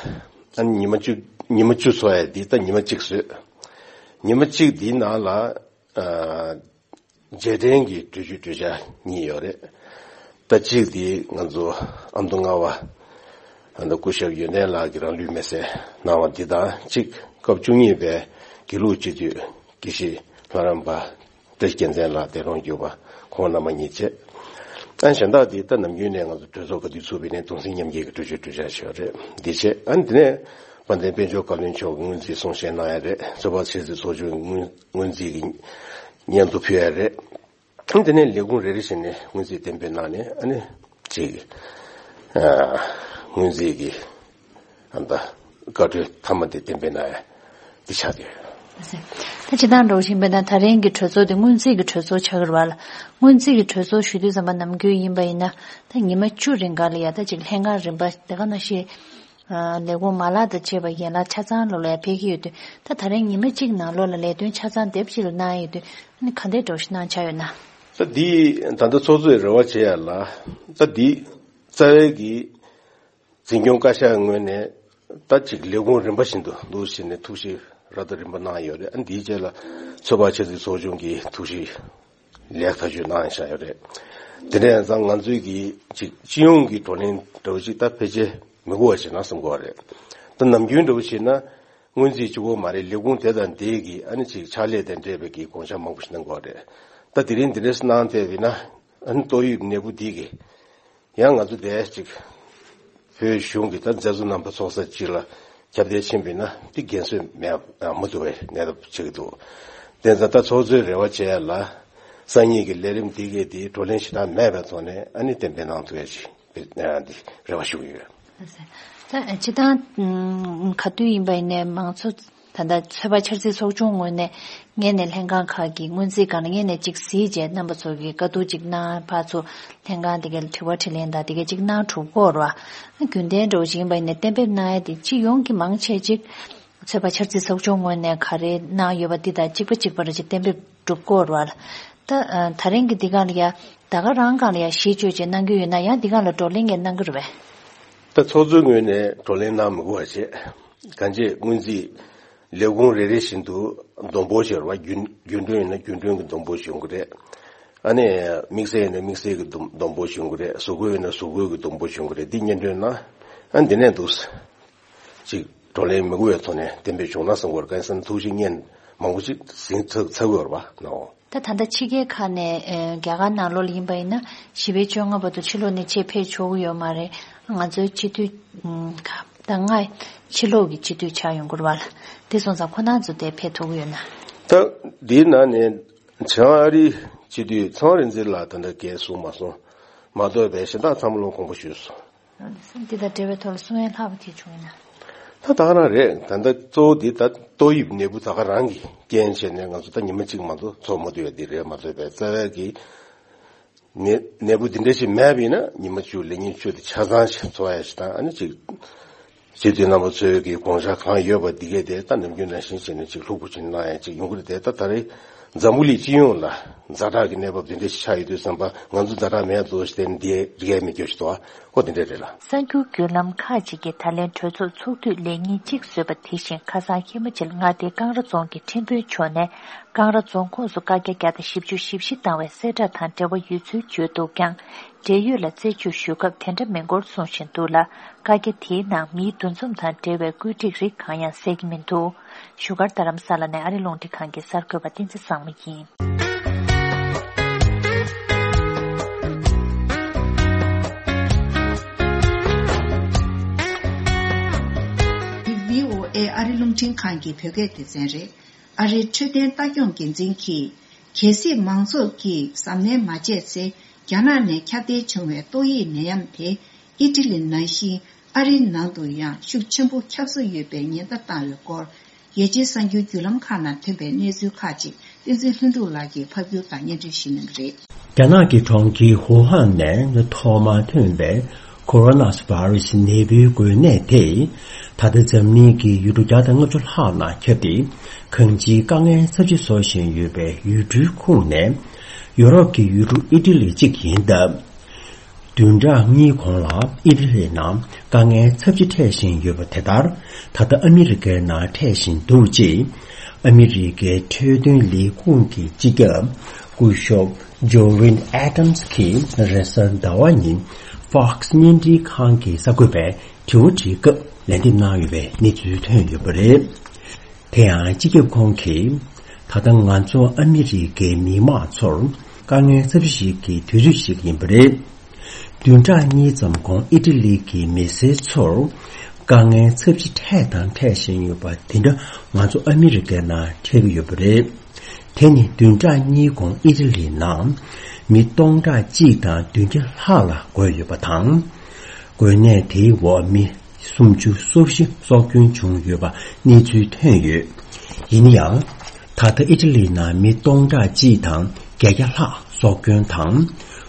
ཨ་ནི་ཉི་མ་བཅུ། ཉི་མ་བཅུ་འཚོགས་ཡ་འདི་ད་ཉི་མ་གཅིག་བཟོས། ཉི་མ་གཅིག་འདིའི་ནང་ལ། ཨ། རྗེས་དྲན་གྱི་གྲོས་ཆོད་གྲོས་འཆར་གཉིས་ཡོད་རེད། ད་གཅིག་དེ་ང་ཚོ་ཨ་མདོ་རྔ་བ་ཨ་མདོ་སྐུ་ཞབས་ཡོན་ཏན་ལགས་ཀྱིས་རང་ལུས་མེར་སྲེག་གནང་བ་འདི་དང་གཅིག། སྐབས་བཅུ་གཉིས་པའི་དགེ་ལུགས་སྤྱི་འཐུས་དགེ་བཤེས་ལྷ་རམས་པ་བཀྲ་ཤིས་རྒྱལ་མཚན་ལགས་འདས་གྲོངས་གྱུར་པ། ཁོང་རྣམ་པ་གཉིས་བྱས། ཨ་གཞན་དག་དེ་ད་ནམ་རྒྱུན་ནས་ང་ཚོ་གྲོས་ཚོགས་ག་དུས་ཚུགས་པའི་ནས་གདུང་སེམས་མཉམ་སྐྱེད་ཀྱི་གྲོས་ཆོད་གྲོས་འཆར་ཞིག་ཡོད་རེད། འདི་བྱས། ཨ་ནི་དེ་ནས་དཔལ་ལྡན་དཔལ་འབྱོར་བཀའ་བློན་མཆོག་གིས་སྔོན་རྩིས་གསུང་བཤད་གནང་ཡ་རེད། ཚོད་དཔག་འཆར་རྩིས་ཚོགས་ཆུང་སྔོན་སྔོན་རྩིས་ཀྱི་སྙན་ཐོ་ཕུལ་ཡ་རེད། དེ་ནས་ལས་ཁུངས་རེ་རེ་བཞིན་ནས་སྔོན་རྩིས་གཏན་འབེབས་གནང་ནས། ཨ་ནི་གཅིག། ཨ། སྔོན་རྩིས་ཀྱི་ཨ་ད་བཀའ་འཁྲོལ་མཐའ་མ་དེ་གཏན་འབེབས་གནང་ཡ་དེ་ཆགས་བསྡད་ཡོད། ད་སྤྱིར་བཏང་འགྲོ་བཞིན་པ་ན་ད་རིང་གི་གྲོས་ཚོགས་དེ་སྔོན་རྩིས་ཀྱི་གྲོས་ཚོགས་ཆགས་ཀྱི་རེད་པ་ལགས། སྔོན་རྩིས་ཀྱི་གྲོས་ཚོགས་ཞུ་དུས་ཙམ་པ་ནམ་རྒྱུན་ཡིན་པ་ཡིན་ན་ད་ཉི་མ་བཅུ་རིང་ག་ལ་ཡ་ད་ཅིག་ལྷན་ཁང་རིམ་པ་དེ་ག་ནང་བཞིན། ཨ། ལས་ཁུངས་མ་ལག་དང་བཅས་པ་ཡན་ལག་ཆ་ཚང་ལོ་ལ་ཡ་ཕེབས་ཀྱི་ཡོད་དུས། ད་ད་རིང་ཉི་མ་གཅིག་ནང་ལོགས་ལ་ལས་དོན་ཆ་ཚང་དེབ་གཅིག་ལ་གནང་ཡོད་དུས། ཨ་ནི་ག་འདྲའི་འགྲོ་གཞི་གནང་འཆར་ཡོད་ན། ད་འདི་ད་ལྟ་ཚོགས་གཙོས་རེ་བ་བྱེད་ཡ་ལ། ད་འདི་རྩ་བའི་གི་འཛིན་སྐྱོང་བཀའ་ཤག་ངོས་ནས་ད་ཅིག་ལས་ཁུངས་རིམ་པ་བཞིན་དུ་འདུག་བྱས་ནས་ཐུགས་ཞིབ་ར་ད་རིམ་པ་གནང་ཡོད་རེད། ཨ་འདིའི་རྗེས་ལ་ཚོད་དཔག་འཆར་རྩིས་ཚོགས་ཆུང་གིས་ཐུགས་ཞིབ་ལེགས་ཐག་གཅོད་གནང་བཞག་ཡོད་རེད། དེ་འདྲ་ཡིན་ཙང་ང་ཚོས་ཀྱི་ཅིག་སྤྱི་ཡོངས་ཀྱི་བགྲོ་གླེང་འདྲ་བོ་ཅིག་ད་ཕལ་ཆེར་མི་དགོས་པ་བྱས་ན་བསམ་གྱི་ཡོད་རེད། ད་ནམ་རྒྱུན་འདྲ་བོ་བྱས་ན་སྔོན་རྩིས་གཅིག་པོ་མ་རེད། ལས་ཁུངས་དེ་དང་དེ་གི་ཨ་ནི་ཅིག་ཕྱག་ལས་དང་འབྲེལ་བའི་གི་དགོངས་འཆར་མང་པོ་ཞིག་གནང་གི་ཡོད་རེད། ད་དེ་རིང་འདི་འདྲ་གནང་བསྡད་པ་ཡིན་ན། ཨ་ནི་ཏོག་དབྱིབས་ནད་འབུ་འདི་གི་ཡང་ང་ཚོ་དེ་ཅིག་བོད་གཞུང་གི་ད་མཛད་གཙོ་རྣམ་པ་ཚོགས་ས་གཅིག་ལ་ཁྱབ་གདལ་ཕྱིན་པ་ཡིན་ན་དེ་འགན་སྲུང་མེད་མ་ཐུབ་པའི་གནས་སྟངས་ཆགས་ཀྱི་འདུག། དེ་ཙང་ད་ཚོགས་གཙོའི་རེ་བ་བྱེད་ཡ་ལ། སང་ཉིན་གྱི་ལས་རིམ་འདི་གས་དེ་བགྲོ་གླེང་ཞེ་དྲག་མེད་པའི་ཐོག་ནས་ཨ་ནི་གཏན་འབེབས་གནང་ཐུབ་ཡ་ཞིག་འདི་རེ་བ་ཞུ་གི་ཡོད། ད་སྤྱིར་བཏང་ག་དུས་ཡིན་པ་ཡིན་ནའི་མང་གཙོ་ད་ལྟ་ཚོད་དཔག་འཆར་རྩིས་ཚོགས་ཆུང་ངོས་ནས་སྔོན་ནས་ལྷན་ཁང་ཁག་གི་སྔོན་རྩིས་སྒང་ལ་སྔོན་ནས་ཅིག་གཟིགས་རྗེས་རྣམ་པ་ཚོ་གི་བཀའ་བསྡུར་ཅིག་གནང་། ཕར་ཚུར་ལྷན་ཁང་དེ་གའི་དྲི་བ་དྲིས་ལན་དང་དེ་གའི་ཅིག་གནང་གྲུབ་ཀྱི་ཡོད་རེད་པ། རྒྱུན་ལྡན་འདྲ་བོ་ཞིག་ཡིན་པ་ཡིན་ནའི་གཏན་འབེབས་གནང་ཡ་དེ་སྤྱི་ཡོངས་ཀྱི་མང་ཆེ་ཅིག་ཚོད་དཔག་འཆར་རྩིས་ཚོགས་ཆུང་ངོས་ནས་ག་རེ་གནང་ཡོད་པ་འདི་དང་གཅིག་པ་གཅིག་པ་རེ་ཅིག་གཏན་འབེབས་གྲུབ་ཀྱི་ཡོད་རེད་པ་ལགས། ད་ཨ་ད་རིང་གི་འདི་སྒང་ལ་ཡ་ད་ག་རང་སྒང་ལ་ཡ་གཞི་བཅོལ་བྱས་གནང་རྒྱུ་ཡོད་ན། ཡང་འདི་སྒང་ལ་བགྲོ་གླེང་གས་གནང་གི་རེད་པས། ད་ཚོགས་གཙོའི་ངོས་ནས་བགྲོ་གླེང་གནང་མི་དགོས་པ་བྱས། གང་ཅི་སྔོན་རྩིས་ལས་ཁུངས་རེ་རེ་བཞིན་དུ་སྡོམ་འབོར་ཞིག་ཡོད་རེད་པ། རྒྱུན་རྒྱུན་གྲོན་ཡིན་ན་རྒྱུན་གྲོན་གྱི་སྡོམ་འབོར་ཞིག་ཡོང་གི་རེད། ཨ་ནི་དམིགས་བསལ་ཡིན་ན་དམིགས་བསལ་གྱི་སྡོམ་སྡོམ་འབོར་ཞིག་ཡོང་གི་རེད། གཟུགས་པོ་ཡིན་ན་གཟུགས་པོའི་གི་སྡོམ་འབོར་ཞིག་ཡོང་གི་རེད། འདི་སྙན་སྒྲོན་གནང་། ཨ་འདི་ནས་འདུག་ཅིག་བགྲོ་གླེང་མི་དགོས་པའི་ཐོག་ནས་གཏན་འབེབས་བྱུང་ན་བསམ་གྱི་ཡོད་རེད། གང་ཡིན་ཟེར་ན་ཐུགས་བཞེད་སྙན་མང་པོ་ཅིག་ཟིན་ཚར་ཚར་གྱི་ཡོད་རེད་པ་ནའོ། ད་ད་ལྟ་ཕྱི་རྒྱལ་ཁག་ནས་ཨེ་རྒྱ་གར་ནང་ལོགས་ལ་ཡིན་པ་ཡིན་ན་བཞི་པའི་བཅོ་ལྔ་བར་དུ་ཕྱི་ལོགས་ནས་ཆེད་ཕེབས་ཆོག་གི་ཡོད་མ་རེད། ང་ཚོའི་སྤྱི་འཐུས་ཨུམ་ཁག་ད་ལྔ་ཕྱི་ལོགས་ཀྱི་སྤྱི་འཐུས་ཆགས་ཡོང་གི་རེད་པ་ལགས། དེ་སོང་ཙང་ཁོ་རང་ཚོ་དེ་ཕེབས་ཐུབ་ཀྱི་ཡོད་ན། ད་འདིའི་ནང་ནས་བྱང་ཨ་རིའི་སྤྱི་འཐུས་ཚངས་རིག་འཛིན་ལགས་ད་ལྟ་འགན་བཟུང་མ་སོང་། མ་གཏོགས་པའི་གཞན་དག་ཚང་མ་ལོ་དགོངས་པ་ཞུས་སོང་། འདི་དང་འབྲེལ་བའི་ཐོག་ལ་གསུང་ཡ་ལྷག་པ་དེ་བྱུང་ཡོད་ན། ད་ད་ག་རང་རེད། ད་ལྟ་གཙོ་བོ་འདི་ད་ཏོག་དབྱིབས་ནད་འབུ་ད་ག་རང་གི་རྐྱེན་བྱས་ནས་ང་ཚོ་ད་ཉི་མ་གཅིག་མ་གཏོགས་ཚོགས་མ་ཐུབ་ཡ་འདི་རེད་མ་གཏོགས་པའི་རྩ་བའི་གི་ནད་ནད་འབུ་འདི་འདྲ་ཞིག་མེད་པ་ཡིན་ན་ཉི་མ་བཅུ་ལས་ཉིན་བཅུ་དེ་ཆ་ཚང་ཞིག་འཚོགས་ཡ་ཞིག་དང་། ཨ་ནི་ཅིག་སྤྱི་འཐུས་རྣམ་པ་ཚོའི་གི་དགོངས་འཆར་གང་ཡོད་པ་འདི་གས་དེ་ད་ནམ་རྒྱུན་ནང་བཞིན་བྱས་ནས་ཅིག་ལྷུག་པོ་ཅིག་གནང་ཡ་ཅིག་ཡོང་གི་རེད་དེ། ད་ད་རེས་འཛམ་བུ་གླིང་སྤྱི་ཡོངས་ལ་ ཛ་དྲག་གི་གནས་བབ་དེ་འདྲ་ཞིག་ཆགས་ཡོད་དུས་ཙམ་པ་ང་ཚོ་ཛ་དྲག་མེད་འདུག་ཟེར་ནས་འདི་རིག་ཡ་མེད་རྒྱུ་ཞིག་འདུག་ཨ་ཁོ་དེ་འདྲ་རེད་ལ། གསར་འགྱུར་བརྒྱུད་ལམ་ཁག་ཅིག་གིས་ད་ལན་གྲོས་ཚོགས་ཚོགས་དུས་ལས་ཉིན་གཅིག་བཟོས་པ་དེ་བཞིན་ཁ་སང་ཧི་མ་ཅལ་མངའ་སྡེའི་ཀང་ར་རྫོང་གི་ཁྲིམས་དཔོན་མཆོག་ནས་ཀང་ར་རྫོང་ཁོངས་སུ་བཀའ་རྒྱ་བརྒྱ་དང་བཞི་བཅུ་ཞེ་བཞི་བཏང་བའི་གསལ་བསྒྲགས་དང་འབྲེལ་བ་ཡོད་ཚུལ་བརྗོད་འདུག་ཀྱང་། འབྲེལ་ཡོད་ལ་རྩད་གཅོད་ཞུ་སྐབས་དེ་འདྲ་མིན་སྐོར་གསུངས་བཞིན་འདུག་ལ། བཀའ་རྒྱ་དེའི་ནང་མིའི་འདུ་འཛོམས་དང་འབྲེལ་བའི་བཀོད་སྒྲིག་རིགས་གང་ཡང་གསལ་གྱི་མི་འདུག་བཞུགས་སྒར་རྡ་རམ་ས་ལ་ནས་ཨ་རི་རླུང་འཕྲིན་ཁང་གི་གསར་འགོད་པ་བསྟན་འཛིན་བཟང་མོ་ཡིན། འདི་བྷི་ཨོ་ཨེ་ཨ་རི་རླུང་འཕྲིན་ཁང་གི་བོད་སྐད་སྡེ་ཚན་རེད། ཨ་རིའི་འཕྲོད་བསྟེན་ལྟ་སྐྱོང་འགན་འཛིན་གྱིས། གལ་སྲིད་མང་ཚོགས་ཀྱིས་གཟབ་ནན་མ་བྱས་ཚེ། རྒྱ་ནག་ནས་ཁྱབ་གདལ་བྱུང་བའི་ཏོག་དབྱིབས་ནད་ཡམས་དེ་ཨི་ཊ་ལི་ནང་བཞིན་ཨ་རིའི་ནང་དུ་ཡང་ཤུགས་ཆེན་པོ་ཁྱབ་སྲིད་ཡོད་པའི་ཉེན་བརྡ་བཏང་བའི་སྐོར། རྒྱལ་སྤྱིའི་གསར་འགྱུར་བརྒྱུད་ལམ་ཁག་ནང་ཐོན་པའི་གནས་ཚུལ་ཁག་ཅིག་བསྟན་འཛིན་ལྷུན་གྲུབ་ལགས་ཀྱིས་ཕབ་སྒྱུར་དང་སྙན་སྒྲོན་ཞུ་གནང་གི་རེད། རྒྱ་ནག་གི་གྲོང་ཁྱེར་ཧུའུ་ཧན་ནས་ཐོག་མར་ཐོན་པའི་ཁོ་རོ་ནཱ་བྷ་རུ་སི་ནད་འབུའི་འགོས་ནད་དེ། ད་ལྟ་འཛམ་གླིང་གི་ཡུལ་གྲུ་བརྒྱ་དང་ལྔ་བཅུ་ལྷག་ནང་ཁྱབ་སྟེ། གང་ཅིའི་དཀའ་ངལ་ཚབས་ཆེ་བཟོ་བཞིན་ཡོད་པའི་ཡུལ་གྲུའི་ཁོངས་ནས། ཡོ་རོབ་ཀྱི་ཡུལ་གྲུ་ཨི་ཊ་ལི་གཅིག་ཡིན་སྟབས། བདུན་ཕྲག་གཉིས་གོང་ལ་ཨི་ཊ་ལི་ནང་དཀའ་ངལ་ཚབས་ཆེ་འཕྲད་བཞིན་ཡོད་པ་དེ་ལྟར། ད་ལྟ་ཨ་མི་རི་ཀའི་ནང་འཕྲད་བཞིན་འདུག་ཅེས། ཨ་མི་རི་ཀའི་འཕྲོད་བསྟེན་ལས་ཁུངས་ཀྱི་སྤྱི་ཁྱབ་སྐུ་ཞབས་ཇོ་རིན་ཨེ་ཏམ་སི་གིས་རེས་གཟའ་ཟླ་བ་ཉིན་Fox་བརྙན་འཕྲིན་ཁང་གི་གསར་འགོད་པས་དྲི་བ་དྲིས་སྐབས་ལན་འདེབས་གནང་ཡོད་པའི་གནས་ཚུལ་ཐོན་ཡོད་པ་རེད། དེ་ཡང་སྤྱི་ཁྱབ་ཁོང་གིས། ད་ལྟ་ང་ཚོ་ཨ་མི་རི་ཀའི་མི་དམངས་ཚོར་དཀའ་ངལ་ཚབས་ཆེ་ཞིག་གི་དུས་ཚོད་ཞིག་ཡིན་པ་རེད། བདུན་ཕྲག་གཉིས་ཙམ་གོང་ཨི་ཊ་ལི་གི་མི་སེར་ཚོར་དཀའ་ངལ་ཚབས་ཆེ་འཕྲད་དང་འཕྲད་བཞིན་ཡོད་པ་དེ་འདྲ་ང་ཚོ་ཨ་མི་རི་ཀའི་ནང་འཕྲད་ཀྱི་ཡོད་པ་རེད། དེ་ནི་བདུན་ཕྲག་གཉིས་གོང་ཨི་ཊ་ལི་ནང་མི་སྟོང་ཕྲག་གཅིག་དང་བདུན་བརྒྱ་ལྷག་ལ་འགོས་ཡོད་པ་དང་། འགོས་ནད་དེའི་འོག་མི་སུམ་ཅུ་སོ་བཞི་སྲོག་སྐྱོན་བྱུང་ཡོད་པ་གནས་ཚུལ་ཐོན་ཡོད། ཡིན་ཡང་། ད་ལྟ་ཨི་ཊ་ལི་ནང་མི་སྟོང་ཕྲག་གཅིག་དང་བརྒྱད་བརྒྱ་ལྷག་སྲོག་སྐྱོན་དང་།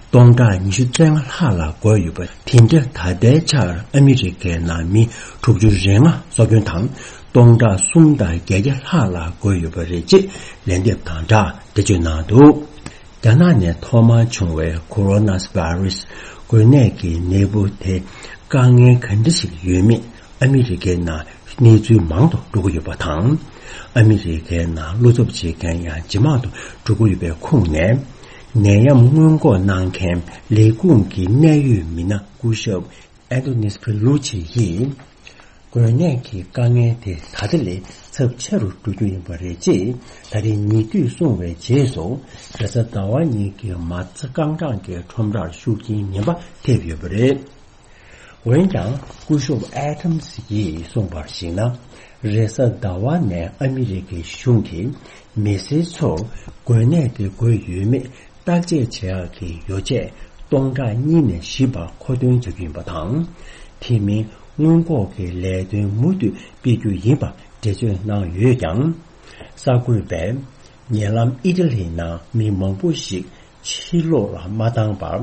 སྟོང་ཕྲག་ཉི་ཤུ་རྩ་ལྔ་ལྷག་ལ་འགོས་ཡོད་པ་དེ་འདྲ་ད་ལྟའི་ཆར་ཨ་མི་རི་ཀའི་ནང་མི་དྲུག་ཅུ་རེ་ལྔ་སྲོག་སྐྱོན་དང་། སྟོང་ཕྲག་གསུམ་དང་བརྒྱད་བརྒྱ་ལྷག་ལ་འགོས་ཡོད་པ་རེད་ཅེས་ལན་འདེབས་དང་སྦྲགས་འགྲེལ་བརྗོད་གནང་འདུག་རྒྱ་ནག་ནས་ཐོག་མར་བྱུང་བའི་ཁོ་རོ་ནཱ་བྷ་རུ་སི་འགོས་ནད་ཀྱི་ནད་འབུ་དེ་དཀའ་ངལ་ག་འདྲ་ཞིག་ཡོད་མེད་ཨ་མི་རི་ཀའི་ནང་གནས་ཚུལ་མང་དུ་འགྲོ་གི་ཡོད་པ་དང་། ཨ་མི་རི་ཀའི་ནང་བློ་འཚབ་བྱེད་མཁན་ཡང་ཇེ་མང་དུ་འགྲོ་གི་ཡོད་པའི་ཁོངས་ནས། ནད་ཡམས་སྔོན་འགོག་གནང་མཁན་ལས་ཁུངས་ཀྱི་གནད་ཡོད་མི་སྣ་སྐུ་ཞབས་ཨན་ཏོ་ནིས་ཕེ་ལུ་ཆི་ཡིས། འགོས་ནད་ཀྱི་དཀའ་ངལ་དེ་ད་ལྟ་ལས་ཚབས་ཆེ་རུ་འགྲོ་རྒྱུ་ཡིན་པ་རེད་ཅེས་ད་རེས་ཉེ་དུས་གསུངས་པའི་རྗེས་སུ། རེས་གཟའ་ཟླ་བ་ཉིན་གྱི་མ་རྩ་རྐང་གྲངས་ཀྱི་ཁྲོམ་རར་ཤུགས་རྐྱེན་ངན་པ་ཐེབས་ཡོད་པ་རེད། འོན་ཀྱང་སྐུ་ཞབས་ཨེ་ཐམ་སི་ཡིས་གསུངས་པར་གཞིགས་ན། རེས་གཟའ་ཟླ་བ་ནས་ཨ་མི་རི་ཀའི་གཞུང་གིས་མི་སེར་ཚོར་འགོས་ནད་དེ་འགོས་ཡོད་མེད་བརྟག་དཔྱད་བྱེད་ཡག་གི་ཡོ་བྱད་སྟོང་ཕྲག་གཉིས་ནས་བཞི་བར་མཁོ་འདོན་བྱ་རྒྱུ་ཡིན་པ་དང་། དེ་མིན་སྔོན་འགོག་གི་ལས་དོན་མུ་མཐུད་སྤེལ་རྒྱུ་ཡིན་པ་འགྲེལ་བརྗོད་གནང་ཡོད་ཀྱང་། གསར་འགོད་པས་ཉེ་ལམ་ཨི་ཊ་ལི་ནང་མི་མང་པོ་ཞིག་ཕྱི་ལོགས་ལ་མ་བཏང་བར་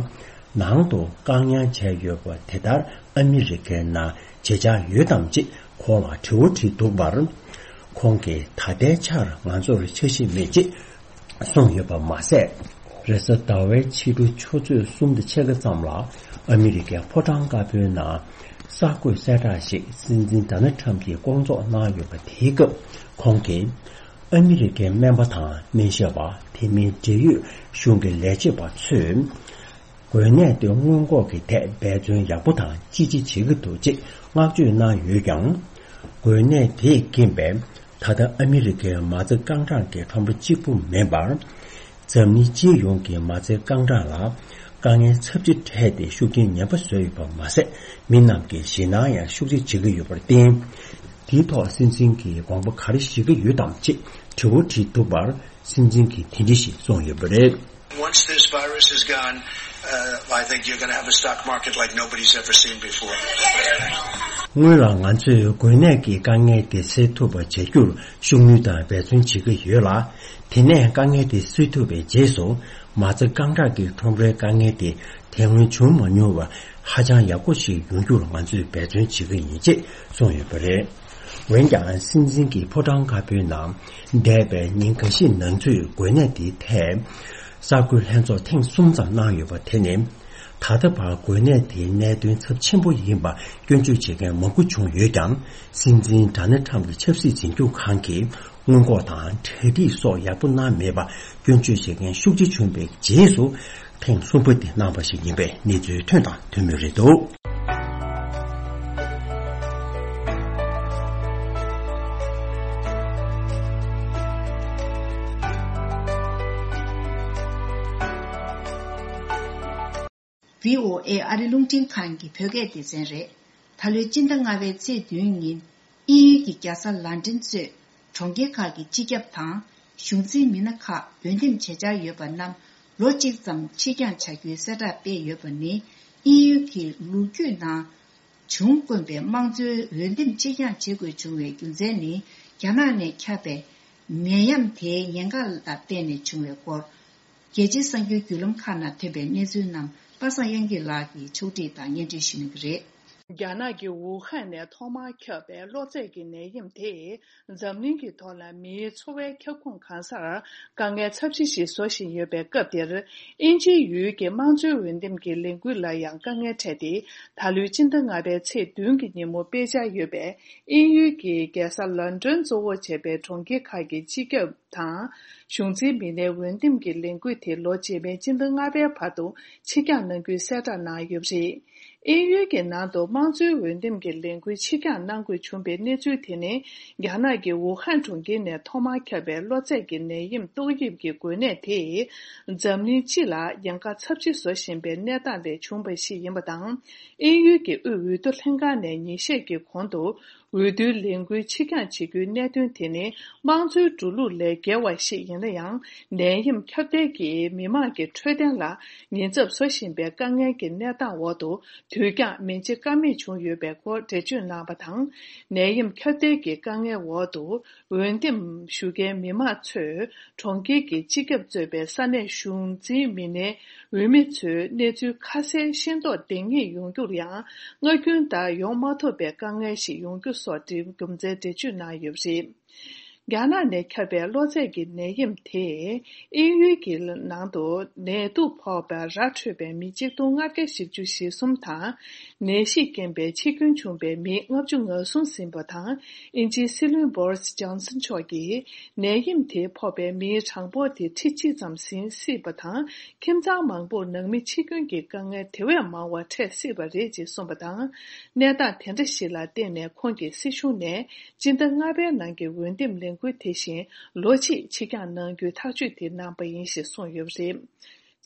ནང་དུ་བཀག་ཉར་བྱས་ཡོད་པ་དེ་ལྟར་ཨ་མི་རི་ཀའི་ནང་བྱེད་འཆར་ཡོད་དམ་ཅེས་ཁོང་ལ་དྲི་བ་དྲིས་འདུག་པར། ཁོང་གིས་ད་ལྟའི་ཆར་ང་ཚོར་འཆར་གཞི་མེད་ཅེས་གསུངས་ཡོད་པ་མ་ཟད། རེས་གཟའ་ཟླ་བའི་ཕྱི་དྲོ་ཆུ་ཚོད་གསུམ་དང་ཕྱེད་ཀ་ཙམ་ལ་ཨ་མི་རི་ཀའི་ཕོ་བྲང་དཀར་པོའི་ནང་གསར་འགོད་གསལ་བསྒྲགས་ཤིག་སྲིད་འཛིན་ཌོ་ནལ་ཊམ་གྱིས་བསྐོང་ཚོགས་གནང་ཡོད་པ་དེའི་སྐབས་ཁོང་གིས། ཨ་མི་རི་ཀའི་སྨན་པ་དང་སྨན་ཞབས་པ་དེ་མིན་འབྲེལ་ཡོད་གཞུང་གི་ལས་བྱེད་པ་ཚོས། འགོས་ནད་དེ་སྔོན་འགོག་གི་ཐད་འབད་བརྩོན་ཡག་པོ་དང་ཅི་ཆེ་བྱེད་ཀྱི་འདུག་ཅེས་བསྔགས་བརྗོད་གནང་ཡོད་ཀྱང་། འགོས་ནད་དེས་རྐྱེན་པས་ད་ལྟ་ཨ་མི་རི་ཀའི་མ་རྩ་རྐང་གྲངས་ཀྱི་ཁྲོམ་ར་གཅིག་པུ་མིན་པར། འཛམ་གླིང་སྤྱི་ཡོངས་ཀྱི་མ་རྩའི་རྐང་གྲངས་ལ་དཀའ་ངལ་ཚབས་ཆེ་འཕྲད་དེ་ཤུགས་རྐྱེན་ངན་པ་བཟོས་ཡོད་པ་མ་ཟད། མི་རྣམས་ཀྱི་ཞེད་སྣང་ཡང་ཤུགས་ཆེ་བྱེད་ཀྱི་ཡོད་པར་བརྟེན། དེའི་ཐོག་སྲིད་འཛིན་གྱིས་དགོངས་པ་ག་རེ་བཞེས་ཀྱི་ཡོད་དམ་ཅེས་དྲི་བ་དྲིས་འདུག་པར། སྲིད་འཛིན་གྱིས་དེ་འདྲ་ཞིག་གསུངས་ཡོད་པ་རེད། Once this virus is gone, uh, I think you're gonna have a stock market like nobody's ever seen before. སྔོན་ལ་ང་ཚོས་འགོས་ནད་ཀྱི་དཀའ་ངལ་དེ་སེལ་ཐུབ་པ་བྱ་རྒྱུར་ཤུགས་སྣོན་དང་འབད་བརྩོན་བྱེད་ཀྱི་ཡོད་ལ། དེ་ནས་དཀའ་ངལ་དེ་སེལ་ཐུབ་པའི་རྗེས་སུ་མ་རྩ་རྐང་གྲངས་ཀྱི་ཁྲོམ་རའི་དཀའ་ངལ་དེ་དེ་སྔོན་བྱུང་མ་མྱོང་བར་ཧ་ཅང་ཡག་པོ་ཞིག་ཡོང་རྒྱུར་ང་ཚོས་འབད་བརྩོན་བྱེད་ཀྱི་ཡིན་ཅེས་གསུངས་ཡོད་པ་རེད། འོན་ཀྱང་སྲིད་འཛིན་གྱིས་ཕོ་བྲང་དཀར་པོའི་ནང་འདས་པའི་ཉིན་འགའ་ཤས་ནང་ཚུད་འགོས་ནད་དེའི་ཐད་ གསར་འགོད་ལྷན་ཚོགས་ཐེངས་གསུམ་ཙམ་གནང་ཡོད་པ་དེ་ནི། ད་ལྟ་བར་འགོས་ནད་དེའི་གནད་དོན་ཚབས་ཆེན་པོ་ཡིན་པ་སྐྱོན་བརྗོད་བྱེད་མཁན་མང་པོ་བྱུང་ཡོད་ཀྱང་། སྲིད་འཛིན་ཌོ་ནལ་ཊམ་གྱི་ཆབ་སྲིད་འཛིན་སྐྱོང་ཁང་གིས་སྔོན་འགོག་དང་གྲ་སྒྲིག་སོགས་ཡག་པོ་གནང་མེད་པ་སྐྱོན་བརྗོད་བྱེད་མཁན་ཤུགས་ཆེ་བྱུང་བའི་རྗེས་སུ། ཐེངས་གསུམ་པ་དེ་གནང་བ་ཞིག་ཡིན་པའི་གནས་ཚུལ་ཐོན་དང་ཐོན་མུས་རེད་འདུག་བྷི་ཨོ་ཨེ་ཨ་རི་རླུང་འཕྲིན་ཁང་གི་བོད་སྐད་སྡེ་ཚན་རེད། ད་ལོའི་སྤྱི་ཟླ་ལྔ་པའི་ཚེས་བདུན་ཉིན། དབྱིན་ཡུལ་གྱི་རྒྱལ་ས་ལན་ཀྲན་གཙོས་གྲོང་ཁྱེར་ཁག་གི་སྤྱི་ཁྱབ་དང་གཞུང་འཛིན་མི་སྣ་ཁག་འོས་འདེམས་བྱེད་འཆར་ཡོད་པ་རྣམས་ལོ་གཅིག་ཙམ་ཕྱིར་འགྱངས་བྱ་རྒྱུའི་གསལ་བསྒྲགས་སྤེལ་ཡོད་པ་ནི། དབྱིན་ཡུལ་གྱི་ལོ་རྒྱུས་ནང་བྱུང་དཀོན་པའི་དམངས་གཙོའི་འོས་འདེམས་ཕྱིར་འགྱངས་བྱེད་དགོས་བྱུང་བའི་རྒྱུ་མཚན་ནི། རྒྱ་ནག་ནས་ཁྱབ་པའི་ནད་ཡམས་དེའི་ཉེན་ཁ་ལ་བརྟེན་ནས་བྱུང་བའི་སྐོར། རྒྱལ་སྤྱིའི་གསར་འགྱུར་བརྒྱུད་ལམ་ཁག་ནང་ཐོན་པའི་གནས་ཚུལ་རྣམས་པ་སངས་དབྱངས་སྐྱིད་ལགས་ཀྱིས་ཕྱོགས་སྒྲིག་དང་སྙན་སྒྲོན་ཞུ་གནང་གི་རེད། རྒྱ་ནག་གི་ཝུ་ཧན་ནས་ཐོག་མར་ཁྱབ་པའི་གློ་ཚད་ཀྱི་ནད་ཡམས་དེས་འཛམ་གླིང་གི་ཐོག་ལ་མིའི་འཚོ་བའི་ཁྱབ་ཁོངས་གང་སར་དཀའ་ངལ་ཚབས་ཆེ་ཞིག་བཟོ་བཞིན་ཡོད་པའི་སྐབས་འདིར། དབྱིན་ཇིའི་ཡུལ་གྱི་དམངས་གཙོའི་འོས་འདེམས་ཀྱི་ལས་འགུལ་ལ་ཡང་དཀའ་ངལ་འཕྲད་དེ། ད་ལོའི་སྤྱི་ཟླ་ལྔ་པའི་ཚེས་བདུན་གྱི་ཉིན་མོ་སྤེལ་འཆར་ཡོད་པའི་དབྱིན་ཡུལ་གྱི་རྒྱལ་ས་ལོན་ཌོན་གཙོ་བོར་བྱས་པའི་གྲོང་ཁྱེར་ཁག་གི་སྤྱི་ཁྱབ་དང་གཞུང་འཛིན་མི་སྣའི་འོས་འདེམས་ཀྱི་ལས་འགུལ་དེ་ལོ་རྗེས་མའི་སྤྱི་ཟླ་ལྔ་པའི་བར་དུ་ཕྱིར་འགྱངས་གནང་རྒྱུའི་གསལ་བསྒྲགས་གནང་ཡོད་པ་རེད། དབྱིན་ཡུལ་གྱི་ནང་དུ་དམངས་གཙོའི་འོས་འདེམས་ཀྱི་ལས་འགུལ་ཕྱིར་འགྱངས་གནང་དགོས་བྱུང་བའི་གནས་ཚུལ་དེ་ནི། རྒྱ་ནག་གི་ཝུ་ཧན་གྲོང་ཁྱེར་ནས་ཐོག་མར་ཁྱབ་པའི་གློ་ཚད་ཀྱི་ནད་ཡམས་ཏོག་དབྱིབས་ཀྱི་འགོས་ནད་དེས་འཛམ་གླིང་སྤྱི་ལ་ཉེན་ཁ་ཚབས་ཆེ་བཟོ་བཞིན་པའི་གནས་སྟངས་ལས་བྱུང་བ་ཞིག་ཡིན་པ་དང་། དབྱིན་ཡུལ་གྱི་དབུས་འོས་བསྡུ་ལྷན་ཁང་ནས་ཉིན་ཤས་ཀྱི་གོང་དུ། འོས་བསྡུའི་ལས་འགུལ་ཕྱིར་འགྱངས་བྱེད་རྒྱུའི་གནད་དོན་དེ་ནི་དམངས་གཙོའི་འགྲོ་ལུགས་ལས་བརྒལ་བ་ཞིག་ཡིན་ན་ཡང་། ནད་ཡམས་ཁྱབ་གདལ་གྱིས་མི་དམངས་ཀྱི་འཕྲོད་བསྟེན་ལ་ཉེན་ཚབས་བཟོ་བཞིན་པའི་དཀའ་ངལ་གྱི་གནས་སྟངས་འོག་ཏུ། དུས་འགྱངས་མི་བྱེད་ཀ་མེད་བྱུང་ཡོད་པའི་སྐོར་འགྲེལ་བརྗོད་གནང་བ་དང་། ནད་ཡམས་ཁྱབ་གདལ་གྱི་དཀའ་ངལ་འོག་ཏུ། འོས་འདེམས་ཞུ་མཁན་མི་མང་ཚོས་གྲོང་ཁྱེར་གྱི་སྤྱི་ཁྱབ་གཙོས་པའི་ས་གནས་གཞུང་འཛིན་མི་སྣའི་འོས་མི་ཚོའི་གནས་ཚུལ་ཁ་གསལ་ཤེས་རྟོགས་ལྡང་ངེས་ཡོང་རྒྱུར་ཡང་། སྔ་རྒྱུན་ལྟར་ཡོང་མ་ཐུབ་པའི་དཀའ་ངལ་ཞིག་ཡོང་རྒྱུ་སོགས་རྒྱུ་མཚན་འགྲེལ་བརྗོད་གནང་ཡོད་པ་རེད། རྒྱ་ནག་ནས་ཁྱབ་པའི་གློ་ཚད་ཀྱི་ནད་ཡམས་དེས་དབྱིན་ཡུལ་གྱི་ནང་དུ་ནད་དུག་ཕོག་པའི་ར་འཕྲོད་པའི་མི་གཅིག་སྟོང་ལྔ་བརྒྱ་བཞི་བཅུ་ཞེ་གསུམ་དང་། ནད་གཞིས་རྐྱེན་པས་འཆི་སྐྱོན་བྱུང་བའི་མི་ལྔ་བཅུ་ང་གསུམ་ཟིན་པ་དང་། དབྱིན་ཇིའི་སྲིད་བློན་བོ་རི་སི་ཇོན་སན་མཆོག་གིས། ནད་ཡམས་དེ་ཕོག་པའི་མིའི་གྲངས་འབོར་དེ་ཁྲི་གཅིག་ཙམ་ཟིན་སྲིད་པ་དང་། ཁྱིམ་ཚང་མང་པོར་ནང་མི་འཆི་སྐྱོན་གྱི་དཀའ་ངལ་དེ་བས་མང་བ་འཕྲད་སྲིད་པ་རེད་ཅེས་གསུངས་པ་དང་། གནས་སྟངས་དེ་འདྲ་ཞིག་ལ་བརྟེན་ནས་ཁོང་གིས་སྲིད་གཞུང་ནས་སྤྱི་ཟླ་ལྔ་པའི་ནང་གི་འོས་འདེམས་ལས་འགུལ་དེ་བཞིན་ལོ་གཅིག་ཕྱིར་འགྱངས་གནང་རྒྱུའི་ཐག་གཅོད་དེ་གནང་པ་ཡིན་ཞེས་གསུངས་ཡོད་པ་རེད།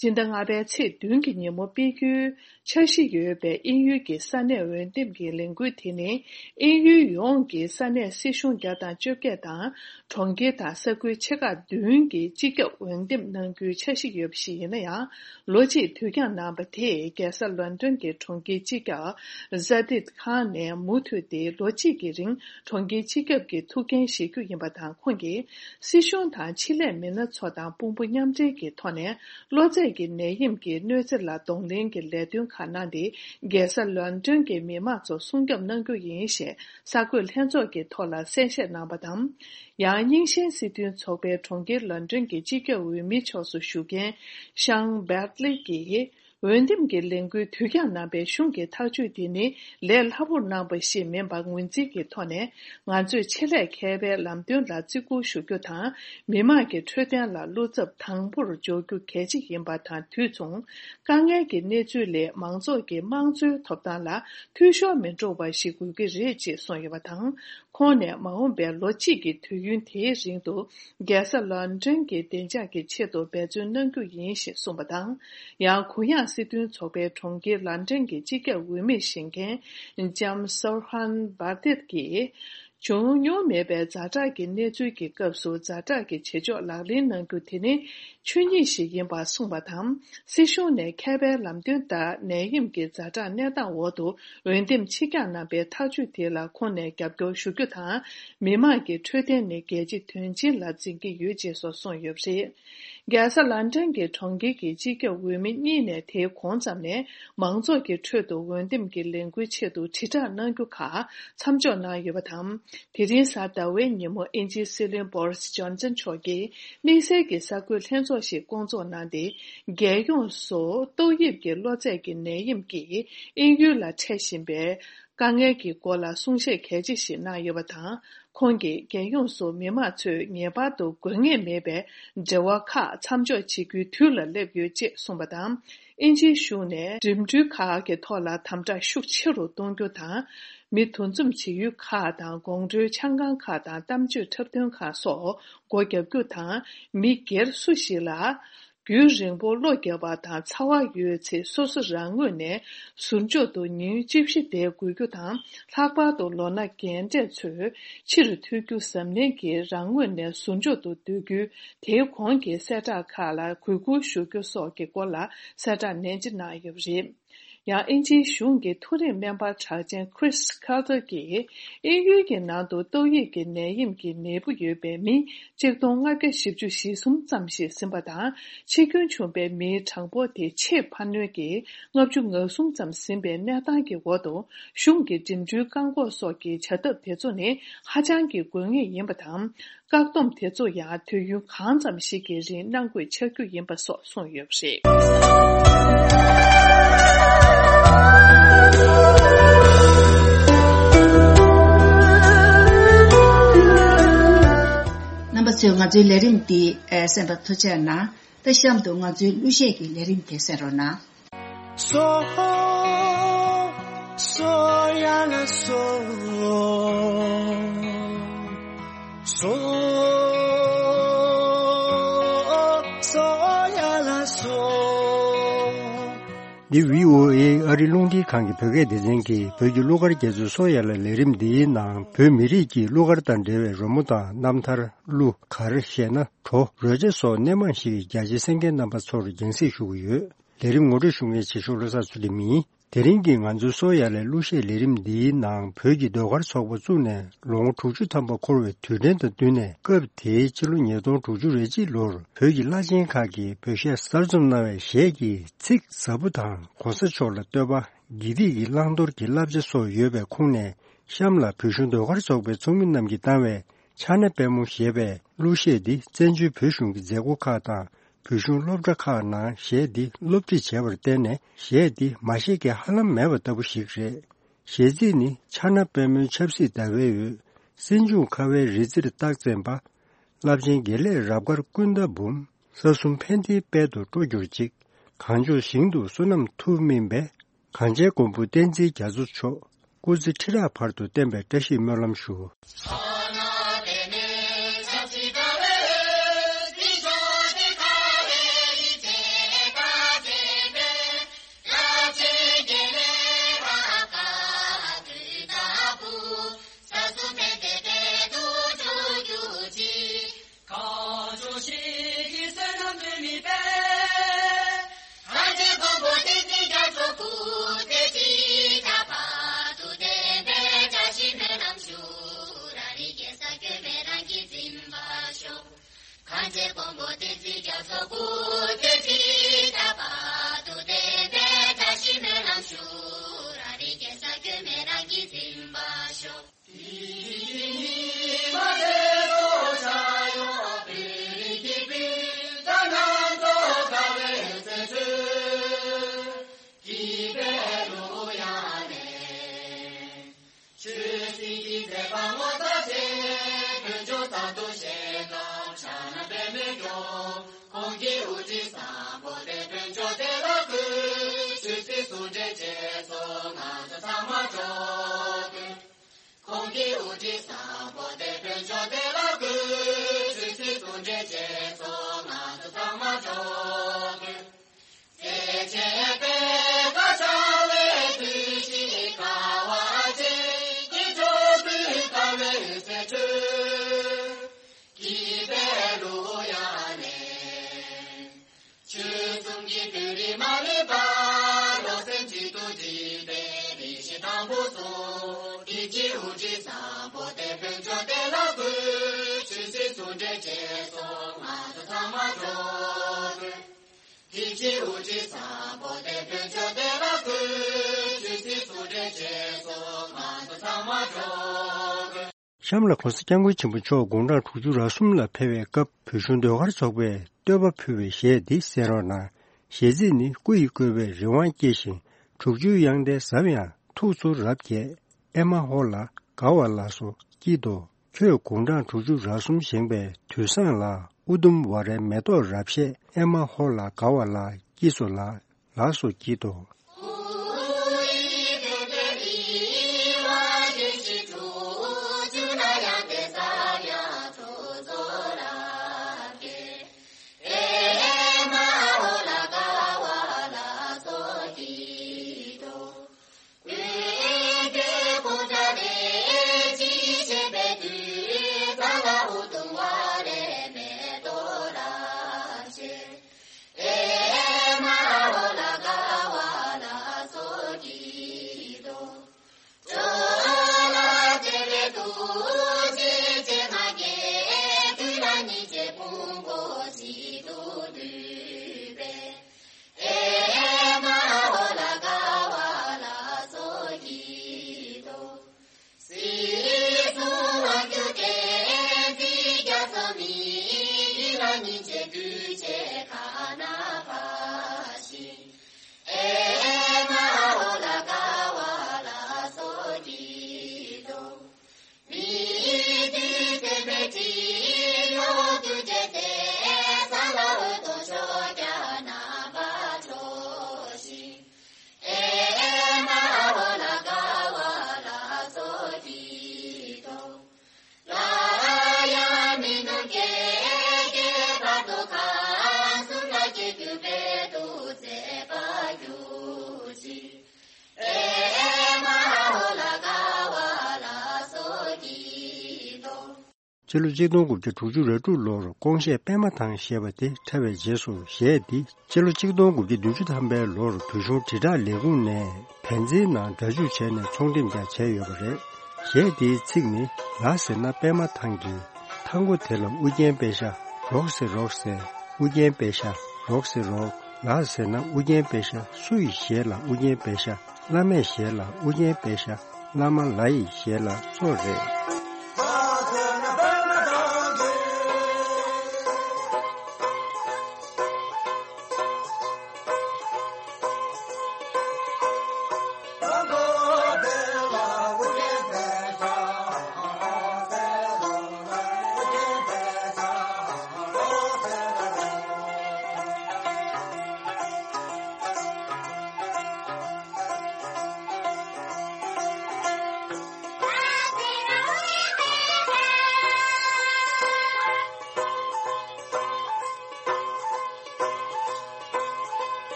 སྤྱི་ཟླ་ལྔ་པའི་ཚེས་བདུན་གྱི་ཉིན་མོ་སྤེལ་རྒྱུའི་འཆར་གཞི་ཡོད་པའི་དབྱིན་ཡུལ་གྱི་ས་གནས་འོས་འདེམས་ཀྱི་ལས་འགུལ་དེ་ནི། དབྱིན་ཡུལ་ཡོངས་ཀྱི་ས་གནས་སྲིད་གཞུང་བརྒྱ་དང་བཅོ་བརྒྱད་དང་། གྲོང་ཁྱེར་དང་ས་ཁུལ་ཆེ་ཁག་བདུན་གྱི་སྤྱི་ཁྱབ་འོས་འདེམས་གནང་རྒྱུའི་འཆར་གཞི་ཡོད་པ་ཞིག་ཡིན་ན་ཡང་། ལོ་གཅིག་དུས་འགྱངས་གནང་བ་དེས་རྒྱལ་ས་ལོན་ཌོན་གྱི་གྲོང་ཁྱེར་སྤྱི་ཁྱབ་ཛ་ཏིད་ཁང་ནས་མུ་མཐུད་དེ་ལོ་གཅིག་གི་རིང་གྲོང་ཁྱེར་སྤྱི་ཁྱབ་ཀྱི་ཐུགས་འགན་བཞེས་རྒྱུ་ཡིན་པ་དང་། ཁོང་གིས་སྲིད་གཞུང་དང་ཆེད་ལས་མི་སྣ་ཚོ་དང་དཔུང་པ་མཉམ་འབྲེལ་གྱི་ཐོག་ནས། གློ་ཚད་ཀྱི་ནད་ཡམས་ཀྱི་གནོད་འཚེ་ལ་གདོང་ལེན་གྱི་ལས་དོན་ཁག་གནང་སྟེ། རྒྱལ་ས་ལོན་ཌོན་གྱི་མི་མང་ཚོ་སྲུང་སྐྱོབ་གནང་རྒྱུ་ཡིན་ཞེས་གསར་འགོད་ལྷན་ཚོགས་ཀྱི་ཐོག་ལ་གསལ་བཤད་གནང་བ་དང་། ཡང་རྙིང་ཞེན་སྲིད་དོན་ཚོགས་པའི་གྲོང་ཁྱེར་ལོན་ཌོན་གྱི་སྤྱི་ཁྱབ་འོས་མི་ཕྱོགས་སུ་བཞུགས་མཁན་ཤང་བེར་ལི་གིས། འོས་འདེམས་ཀྱི་ལས་འགུལ་དུས་འགྱངས་གནང་པའི་གཞུང་གི་ཐག་གཅོད་དེ་ནི་ལས་སླ་པོར་གནང་པ་ཞིག་མིན་པར་ངོས་འཛིན་གྱི་ཐོག་ནས། ང་ཚོས་ཆེད་ལས་མཁས་པའི་ལམ་སྟོན་ལ་བརྩི་བཀུར་ཞུ་རྒྱུ་དང་། མི་དམངས་ཀྱི་འཕྲོད་བསྟེན་ལ་བློ་འཚབ་དང་པོར་འཇོག་རྒྱུ་གལ་ཆེ་ཡིན་པ་དང་། དུས་མཚུངས། དཀའ་ངལ་གྱི་གནས་ཚུལ་ལས་མང་ཚོགས་ཀྱི་དམངས་གཙོའི་ཐོབ་ཐང་ལ་འཐུས་ཤོར་མི་འགྲོ་བ་ཞིག་དགོས་ཀྱི་རེད་ཅེས་གསུངས་ཡོད་པ་དང་། ཁོང་ནས་མ་འོངས་པའི་ལོ་གཅིག་གི་དུས་ཡུན་དེའི་རིང་དུ། རྒྱལ་ས་ལོན་ཌོན་གྱི་བདེ་འཇགས་ཀྱི་ཆེད་དུ་འབད་བརྩོན་གནང་རྒྱུ་ཡིན་ཞེས་གསུངས་པ་དང་། ཡང་གུ་ཡངས་སྲིད་དོན་ཚོགས་པའི་གྲོང་ཁྱེར་ལོན་ཌོན་གྱི་སྤྱི་ཁྱབ་འོས་མི་བཞེངས་མཁན་ལྕམ་སོར་ཧན་བར་དིད་ཀྱིས། བྱུང་མྱོང་མེད་པའི་ཛ་དྲག་གི་གནས་ཚུལ་གྱི་སྐབས་སུ་ཛ་དྲག་གི་བྱེད་ཕྱོགས་ལག་ལེན་གནང་རྒྱུ་དེ་ནི་ཆོས་ཉིད་ཞིག་ཡིན་པ་གསུངས་པ་དང་། སྲིད་གཞུང་ནས་མཁས་པའི་ལམ་སྟོན་ལྟར་ནད་ཡམས་ཀྱི་ཛ་དྲག་གནས་སྟངས་འོག་ཏུ། འོས་འདེམས་ཕྱིར་འགྱངས་གནང་པའི་ཐག་གཅོད་དེ་ལ་ཁོང་ནས་རྒྱབ་སྐྱོར་ཞུ་རྒྱུ་དང་། མི་དམངས་ཀྱི་འཕྲོད་བསྟེན་ནི་རྒྱལ་སྤྱིའི་དོན་ཆེན་ལ་འཛིན་གྱི་ཡོད་ཅེས་སོགས་གསུངས་ཡོད་པ་རེད། རྒྱལ་ས་ལན་ཀྲན་གྱི་གྲོང་ཁྱེར་གྱི་སྤྱི་ཁྱབ་འོས་མི་གཉིས་ནས་དེའི་གོང་ཙམ་ནས་མང་ཚོགས་ཀྱི་ཁྲོད་དུ་འོས་འདེམས་ཀྱི་ལས་འགུལ་ཆེད་དུ་དྲིལ་བསྒྲགས་གནང་རྒྱུ་ཁག་མཚམས་འཇོག་གནང་ཡོད་པ་དང་། དེ་རིང་གཟའ་ཟླ་བའི་ཉིན་མོ་དབྱིན་ཇིའི་སྲིད་བློན་བོ་རིས་ཇོན་སན་མཆོག་གིས་དམིགས་བསལ་གྱི་གསར་འགོད་ལྷན་ཚོགས་ཤིག་བསྐོང་ཚོགས་གནང་སྟེ། རྒྱལ་ཡོངས་སུ་ཏོག་དབྱིབས་ཀྱི་གློ་ཚད་ཀྱི་ནད་ཡམས་ཀྱིས་དབྱིན་ཡུལ་ལ་འཕྲད་བཞིན་པའི་དཀའ་ངལ་གྱི་སྐོར་ལ་གསུང་བཤད་གལ་ཆེ་ཞིག་གནང་ཡོད་པ་དང་། ཁོང་གིས་རྒྱལ་ཡོངས་སུ་མི་མང་ཚོས་ངེས་པར་དུ་དགོས་ངེས་མེད་པའི་འབྲེལ་བ་ཁག་མཚམས་འཇོག་བྱེད་རྒྱུའི་དུས་ལ་སླེབས་ཡོད་ཅེས་གསུངས་པ་དང་། དབྱིན་ཇིའི་གཞུང་ནས་འགྲིམ་འགྲུལ་ཁག་གི་ཐོག་ལ་དམ་དྲག་ཤུགས་ཆེ་རུ་གཏོང་རྒྱུ་དང་། མི་འདུ་འཛོམས་བྱེད་ཡུལ་ཁག་དང་དགོང་དྲོའི་ཆང་ཁང་ཁག་དང་གཏམ་བརྗོད་འཁྲབ་སྟོན་ཁག་སོགས་སྒོ་རྒྱག་རྒྱུ་དང་། མི་སྒེར་སུ་ཞིག་ལ་རྒྱུན་རིང་པོ་གློ་བརྒྱབ་པ་དང་ཚ་བ་ཡོད་ཚེ་སོ་སོ་རང་ངོས་ནས་ཟུར་འཇོག་ཏུ་ཉིན་བཅུ་བཞི་བསྡད་དགོས་རྒྱུ་དང་། ལྷག་པར་དུ་ལོ་ན་རྒན་གྲས་ཚོས་ཕྱིར་ཐོན་རྒྱུ་གཟབ་ནན་གྱིས་རང་ངོས་ནས་ཟུར་འཇོག་ཏུ་སྡོད་རྒྱུའི་དེའི་གོང་གི་གསལ་བསྒྲགས་ཁག་ལ་གུས་བཀུར་ཞུ་རྒྱུ་སོགས་ཀྱི་སྐོར་ལ་གསལ་བསྒྲགས་ནན་ཆེ་གནང་ཡོད་པ་རེད། ཡང་དབྱིན་ཇིའི་གཞུང་གི་མཐོ་རིམ་སྨན་པ་གྲགས་ཅན་Chris Carter གྱིས་དབྱིན་ཡུལ་གྱི་ནང་དུ་ཏོག་དབྱིབས་ཀྱི་ནད་ཡམས་ཀྱི་ནད་འབུ་ཡོད་པའི་མི་གཅིག་སྟོང་ལྔ་བརྒྱ་བཞི་བཅུ་ཞེ་གསུམ་ཙམ་ཞིག་ཟིན་པ་དང་། འཆི་སྐྱོན་བྱུང་པའི་མིའི་གྲངས་འབོར་དེ་ཆེས་འཕར་སྣོན་གྱི་ལྔ་བཅུ་ང་གསུམ་ཙམ་ཟིན་པའི་གནས་སྟངས་ཀྱི་འོག་ཏུ། གཞུང་གི་འགྲིམ་འགྲུལ་བཀག་འགོག་སོགས་ཀྱི་བྱ་ཐབས་དེ་ཚོ་ནི་ཧ་ཅང་གི་དགོས་ངེས་ཡིན་པ་དང་། བཀག་སྡོམ་དེ་ཚོ་ཡང་དུས་ཡུན་གང་ཙམ་ཞིག་གི་རིང་གནང་དགོས་ཆགས་རྒྱུ་ཡིན་པ་སོགས་གསུངས་ཡོད་པ་རེད། རྣམ་པ་ཚོས་ང་ཚོའི་ལས་རིམ་འདི་གསན་པར་ཐུགས་རྗེ་གནང་། ད་གཤམ་དུ་ང་ཚོའི་གླུ་གཞས་ཀྱི་ལས་རིམ་དེ་གསན་རོགས་གནང་། སོ། སོ་ཡ་ལ་སོ། སོ། སོ་ཡ་ལ་སོ། འདི་བྷི་ཨོ་ཨེ་ཨ་རི་རླུང་འཕྲིན་ཁང་གི་བོད་སྐད་སྡེ་ཚན་གྱི་བོད་ཀྱི་གླུ་གར་རྒྱ་མཚོའི་སོ་ཡ་ལ་ལས་རིམ་འདིའི་ནང་བོད་མི་རིགས་ཀྱི་གླུ་གར་དང་འབྲེལ་བའི་རོལ་མོ་དང་རྣམ་ཐར། གླུ། གར། གཞས་སྣ། བྲོ། རོལ་ཆ་སོགས་སྣེ་མང་ཞིག་གི་རྒྱ་ཆེའི་གསན་མཁན་རྣམ་པ་ཚོར་རྒྱང་སྲིང་ཞུ་གི་ཡོད། ལས་རིམ་ངོ་སྤྲོད་ཞུ་མཁན་ཆེ་ཤོས་བློ་བཟང་ཚུལ་ཁྲིམས་ཡིན། དེ་རིང་གི་ང་ཚོའི་སོ་ཡ་ལའི་གླུ་གཞས་ལས་རིམ་འདིའི་ནང་བོད་ཀྱི་ཟློས་གར་ཚོགས་པ་བཙུགས་ནས་ལོ་ངོ་དྲུག་ཅུ་ཐམ་པ་འཁོར་བའི་དུས་དྲན་དང་བསྟུན་ནས་སྐབས་དེའི་ཕྱི་ལོ་ཉིས་སྟོང་དྲུག་ཅུ་རེ་གཅིག་ལོར་བོད་ཀྱི་བླ་ཆེན་ཁག་གིས་བོད་གཞས་གསར་རྩོམ་གནང་བའི་གཞས་ཀྱི་ཚིག་ཟབ་པོ་དང་གོང་ས་མཆོག་ལ་བསྟོད་པ། དགེ་སྡིག་གི་བླང་དོར་གྱི་བསླབ་བྱ་སོགས་ཡོད་པའི་ཁོངས་ནས་གཤམ་ལ་བོད་གཞུང་ཟློས་གར་ཚོགས་པའི་ཚོགས་མི་རྣམས་ཀྱིས་བཏང་བའི་ཕྱག་ན་པད་མོ་ཞེས་པའི་གླུ་གཞས་འདི་བཙན་བྱོལ་བོད་གཞུང་གི་མཛད་སྒོ་ཁག་དང་། བོད་གཞུང་སློབ་གྲྭ་ཁག་ནང་གཞས་འདི་སློབ་ཁྲིད་བྱས་པར་བརྟེན་ནས་གཞས་འདི་མ་ཤེས་མཁན་ཧ་ལམ་མེད་པ་ལྟ་བུ་ཞིག་རེད། གཞས་ཚིག་ནི། ཕྱག་ན་པད་མོའི་ཆབ་སྲིད་ཟླ་བའི་འོད། སྲིན་འབྱུང་ཁ་བའི་རི་རྩེར་རྟགས་འཛིན་པ། རླབས་ཆེན་དགེ་ལེགས་རབ་དཀར་ཀུན་ད་འབུམ། ས་གསུམ་ཕན་བདེའི་དཔལ་དུ་སྤྲོ་གྱུར་ཅིག། གངས་ལྗོངས་ཞིང་དུ་བསོད་ནམས་མཐུ་སྨིན་པའི། གངས་ཅན་མགོན་པོ་བསྟན་འཛིན་རྒྱ་མཚོ་མཆོག། སྐུ་ཚེ་ཁྲི་ཕྲག་བར་དུ་བརྟན་པའི་བཀྲ་ཤིས་སྨོན་ལམ་ཞུ། གང་བྱུང་ཞིག་གི་བསོད་ནམས་འདུས་མི་དཔལ། གངས་ཅན་མགོན་པོ་བསྟན་འཛིན་རྒྱ་མཚོ་སྐུ་ཚེ་ཁྲི་ཕྲག་བར་དུ་བརྟན་པའི་བཀྲ་ཤིས་སྨོན་ལམ་ཞུ། རང་རིགས་རྒྱལ་ས་སྐྱོན་མེད་རང་གིས་འཛིན་པར་ཤོག། གངས་ཅན་མགོན་པོ་བསྟན་འཛིན་རྒྱ་མཚོ་སྐུ་ཚེ་ཁྲི་ཕྲག་བར་དུ་བརྟན་པའི་བཀྲ་ཤིས་སྨོན་ལམ་ཞུ། རང་རིགས་རྒྱལ་ས་སྐྱོན་མེད་རང་གིས་འཛིན་པར་ཤོག། ཆོས་སྲིད་ཀྱི་མཛད་པ་ངོ་མཚར་ཆེ། དཀོན་མཆོག་གསར་དུ་བཞེངས་སྐབས་ཕྱག་ན་པདྨོས་སྐྱོང་། ཁོང་གི་དབུ་ཁྲིད་བཟང་པོ་དེ་དཀོན་མཆོག་དེ་ལ་གུས། ཆོས་སྲིད་ཟུང་འབྲེལ་བྱེད་སོང་ང་ཚོ་ཚང་མ་འགྲོ་དགོས། ཁོང་གི་དབུ་ཁྲིད་བཟང་པོ་དེ་དཀོན་མཆོག་དེ་ལ་གུས། ཆོས་སྲིད་ཟུང་འབྲེལ་བྱེད་སོང་ང་ཚོ་ཚང་མ་འགྲོ་དགོས། ཡིད་ཆེས་དབུ་ཁྲིད་བཟང་པོ་དེ་བོད་ཆོས་སྡེ་ལ་བསྐུལ། ཆོས་སྲིད་ཚོགས་གྲལ་བཅས་སོགས་མང་དུ་ཚང་མ་འགྲོ་དགོས། གཤམ་ལ་༸གོང་ས་༸སྐྱབས་མགོན་ཆེན་པོ་མཆོག་དགུང་གྲངས་དྲུག་ཅུ་རེ་གསུམ་ལ་ཕེབས་པའི་སྐབས་བོད་གཞུང་ཟློས་གར་ཚོགས་པས་བསྟོད་པ་ཕུལ་བའི་གཞས་འདི་གསན་རོགས་གནང་། གཞས་ཚིག་ནི། སྐུ་ཡི་བཀོད་པས་རི་དབང་སྐྱེ་ཞིང་། དྲུག་ཅུའི་དབྱངས་ལྡན་ཟབ་ཡངས་ཐུགས་ཚུར་རབ་རྒྱས། ཨེ་མ་ཧོ་ལ་དགའ་བ་ལ་སོགས་ཀྱིས་དོ། ཁྱོད་དགུང་གྲངས་དྲུག་ཅུ་རེ་གསུམ་བཞེངས་པའི་དུས་བཟང་ལ། ཨུ་དུམ་ཝཱ་རའི་མེ་ཏོག་རབ་བཞད། ཨེ་མ་ཧོ་ལ་དགའ་བ་ལ་སྐྱིད་སོ་ལ། ལགས་སོ་སྐྱིད་དོ། ཕྱི་ལོ་གཅིག་སྟོང་དགུ་བརྒྱ་དྲུག་ཅུ་རེ་དྲུག་ལོར་ཀོང་ཤེས་པད་མ་ཐང་ཞེས་པ་དེ་འཁྲབ་པའི་རྗེས་སུ་གཞས་འདི་ཕྱི་ལོ་གཅིག་སྟོང་དགུ་བརྒྱ་བདུན་ཅུ་ཐམ་པའི་ལོར་བོད་གཞུང་དྲིལ་བསྒྲགས་ལས་ཁུངས་ནས་བན་ཛིའི་ནང་སྒྲ་འཇུག་བྱས་ནས་ཚོང་འགྲེམས་ཀྱང་བྱས་ཡོད་པ་རེད། གཞས་འདིའི་ཚིག་ནི། ལ་ཟེར་ན་པད་མ་ཐང་གི། ཐང་གོ་དེ་ལ་ཨུ་རྒྱན་པད་ཤ། རོག་ཟེར་རོག་ཟེར། ཨུ་རྒྱན་པད་ཤ། རོག་ཟེར་རོག་ལ་ཟེར་ན་ཨུ་རྒྱན་པད་ཤ། སུ་ཡི་ཞལ་ལ་ཨུ་རྒྱན་པད་ཤ། བླ་མའི་ཞལ་ལ་ཨུ་རྒྱན་པད་ཤ། བླ་མ་ལ་ཡི་ཞལ་ལ་སོགས་རེད།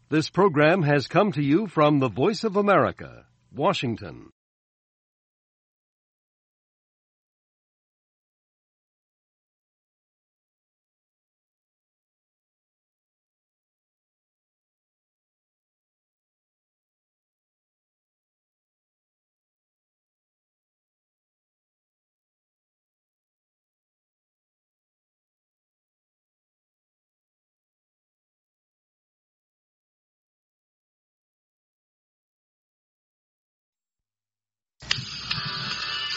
This program has come to you from the Voice of America, Washington.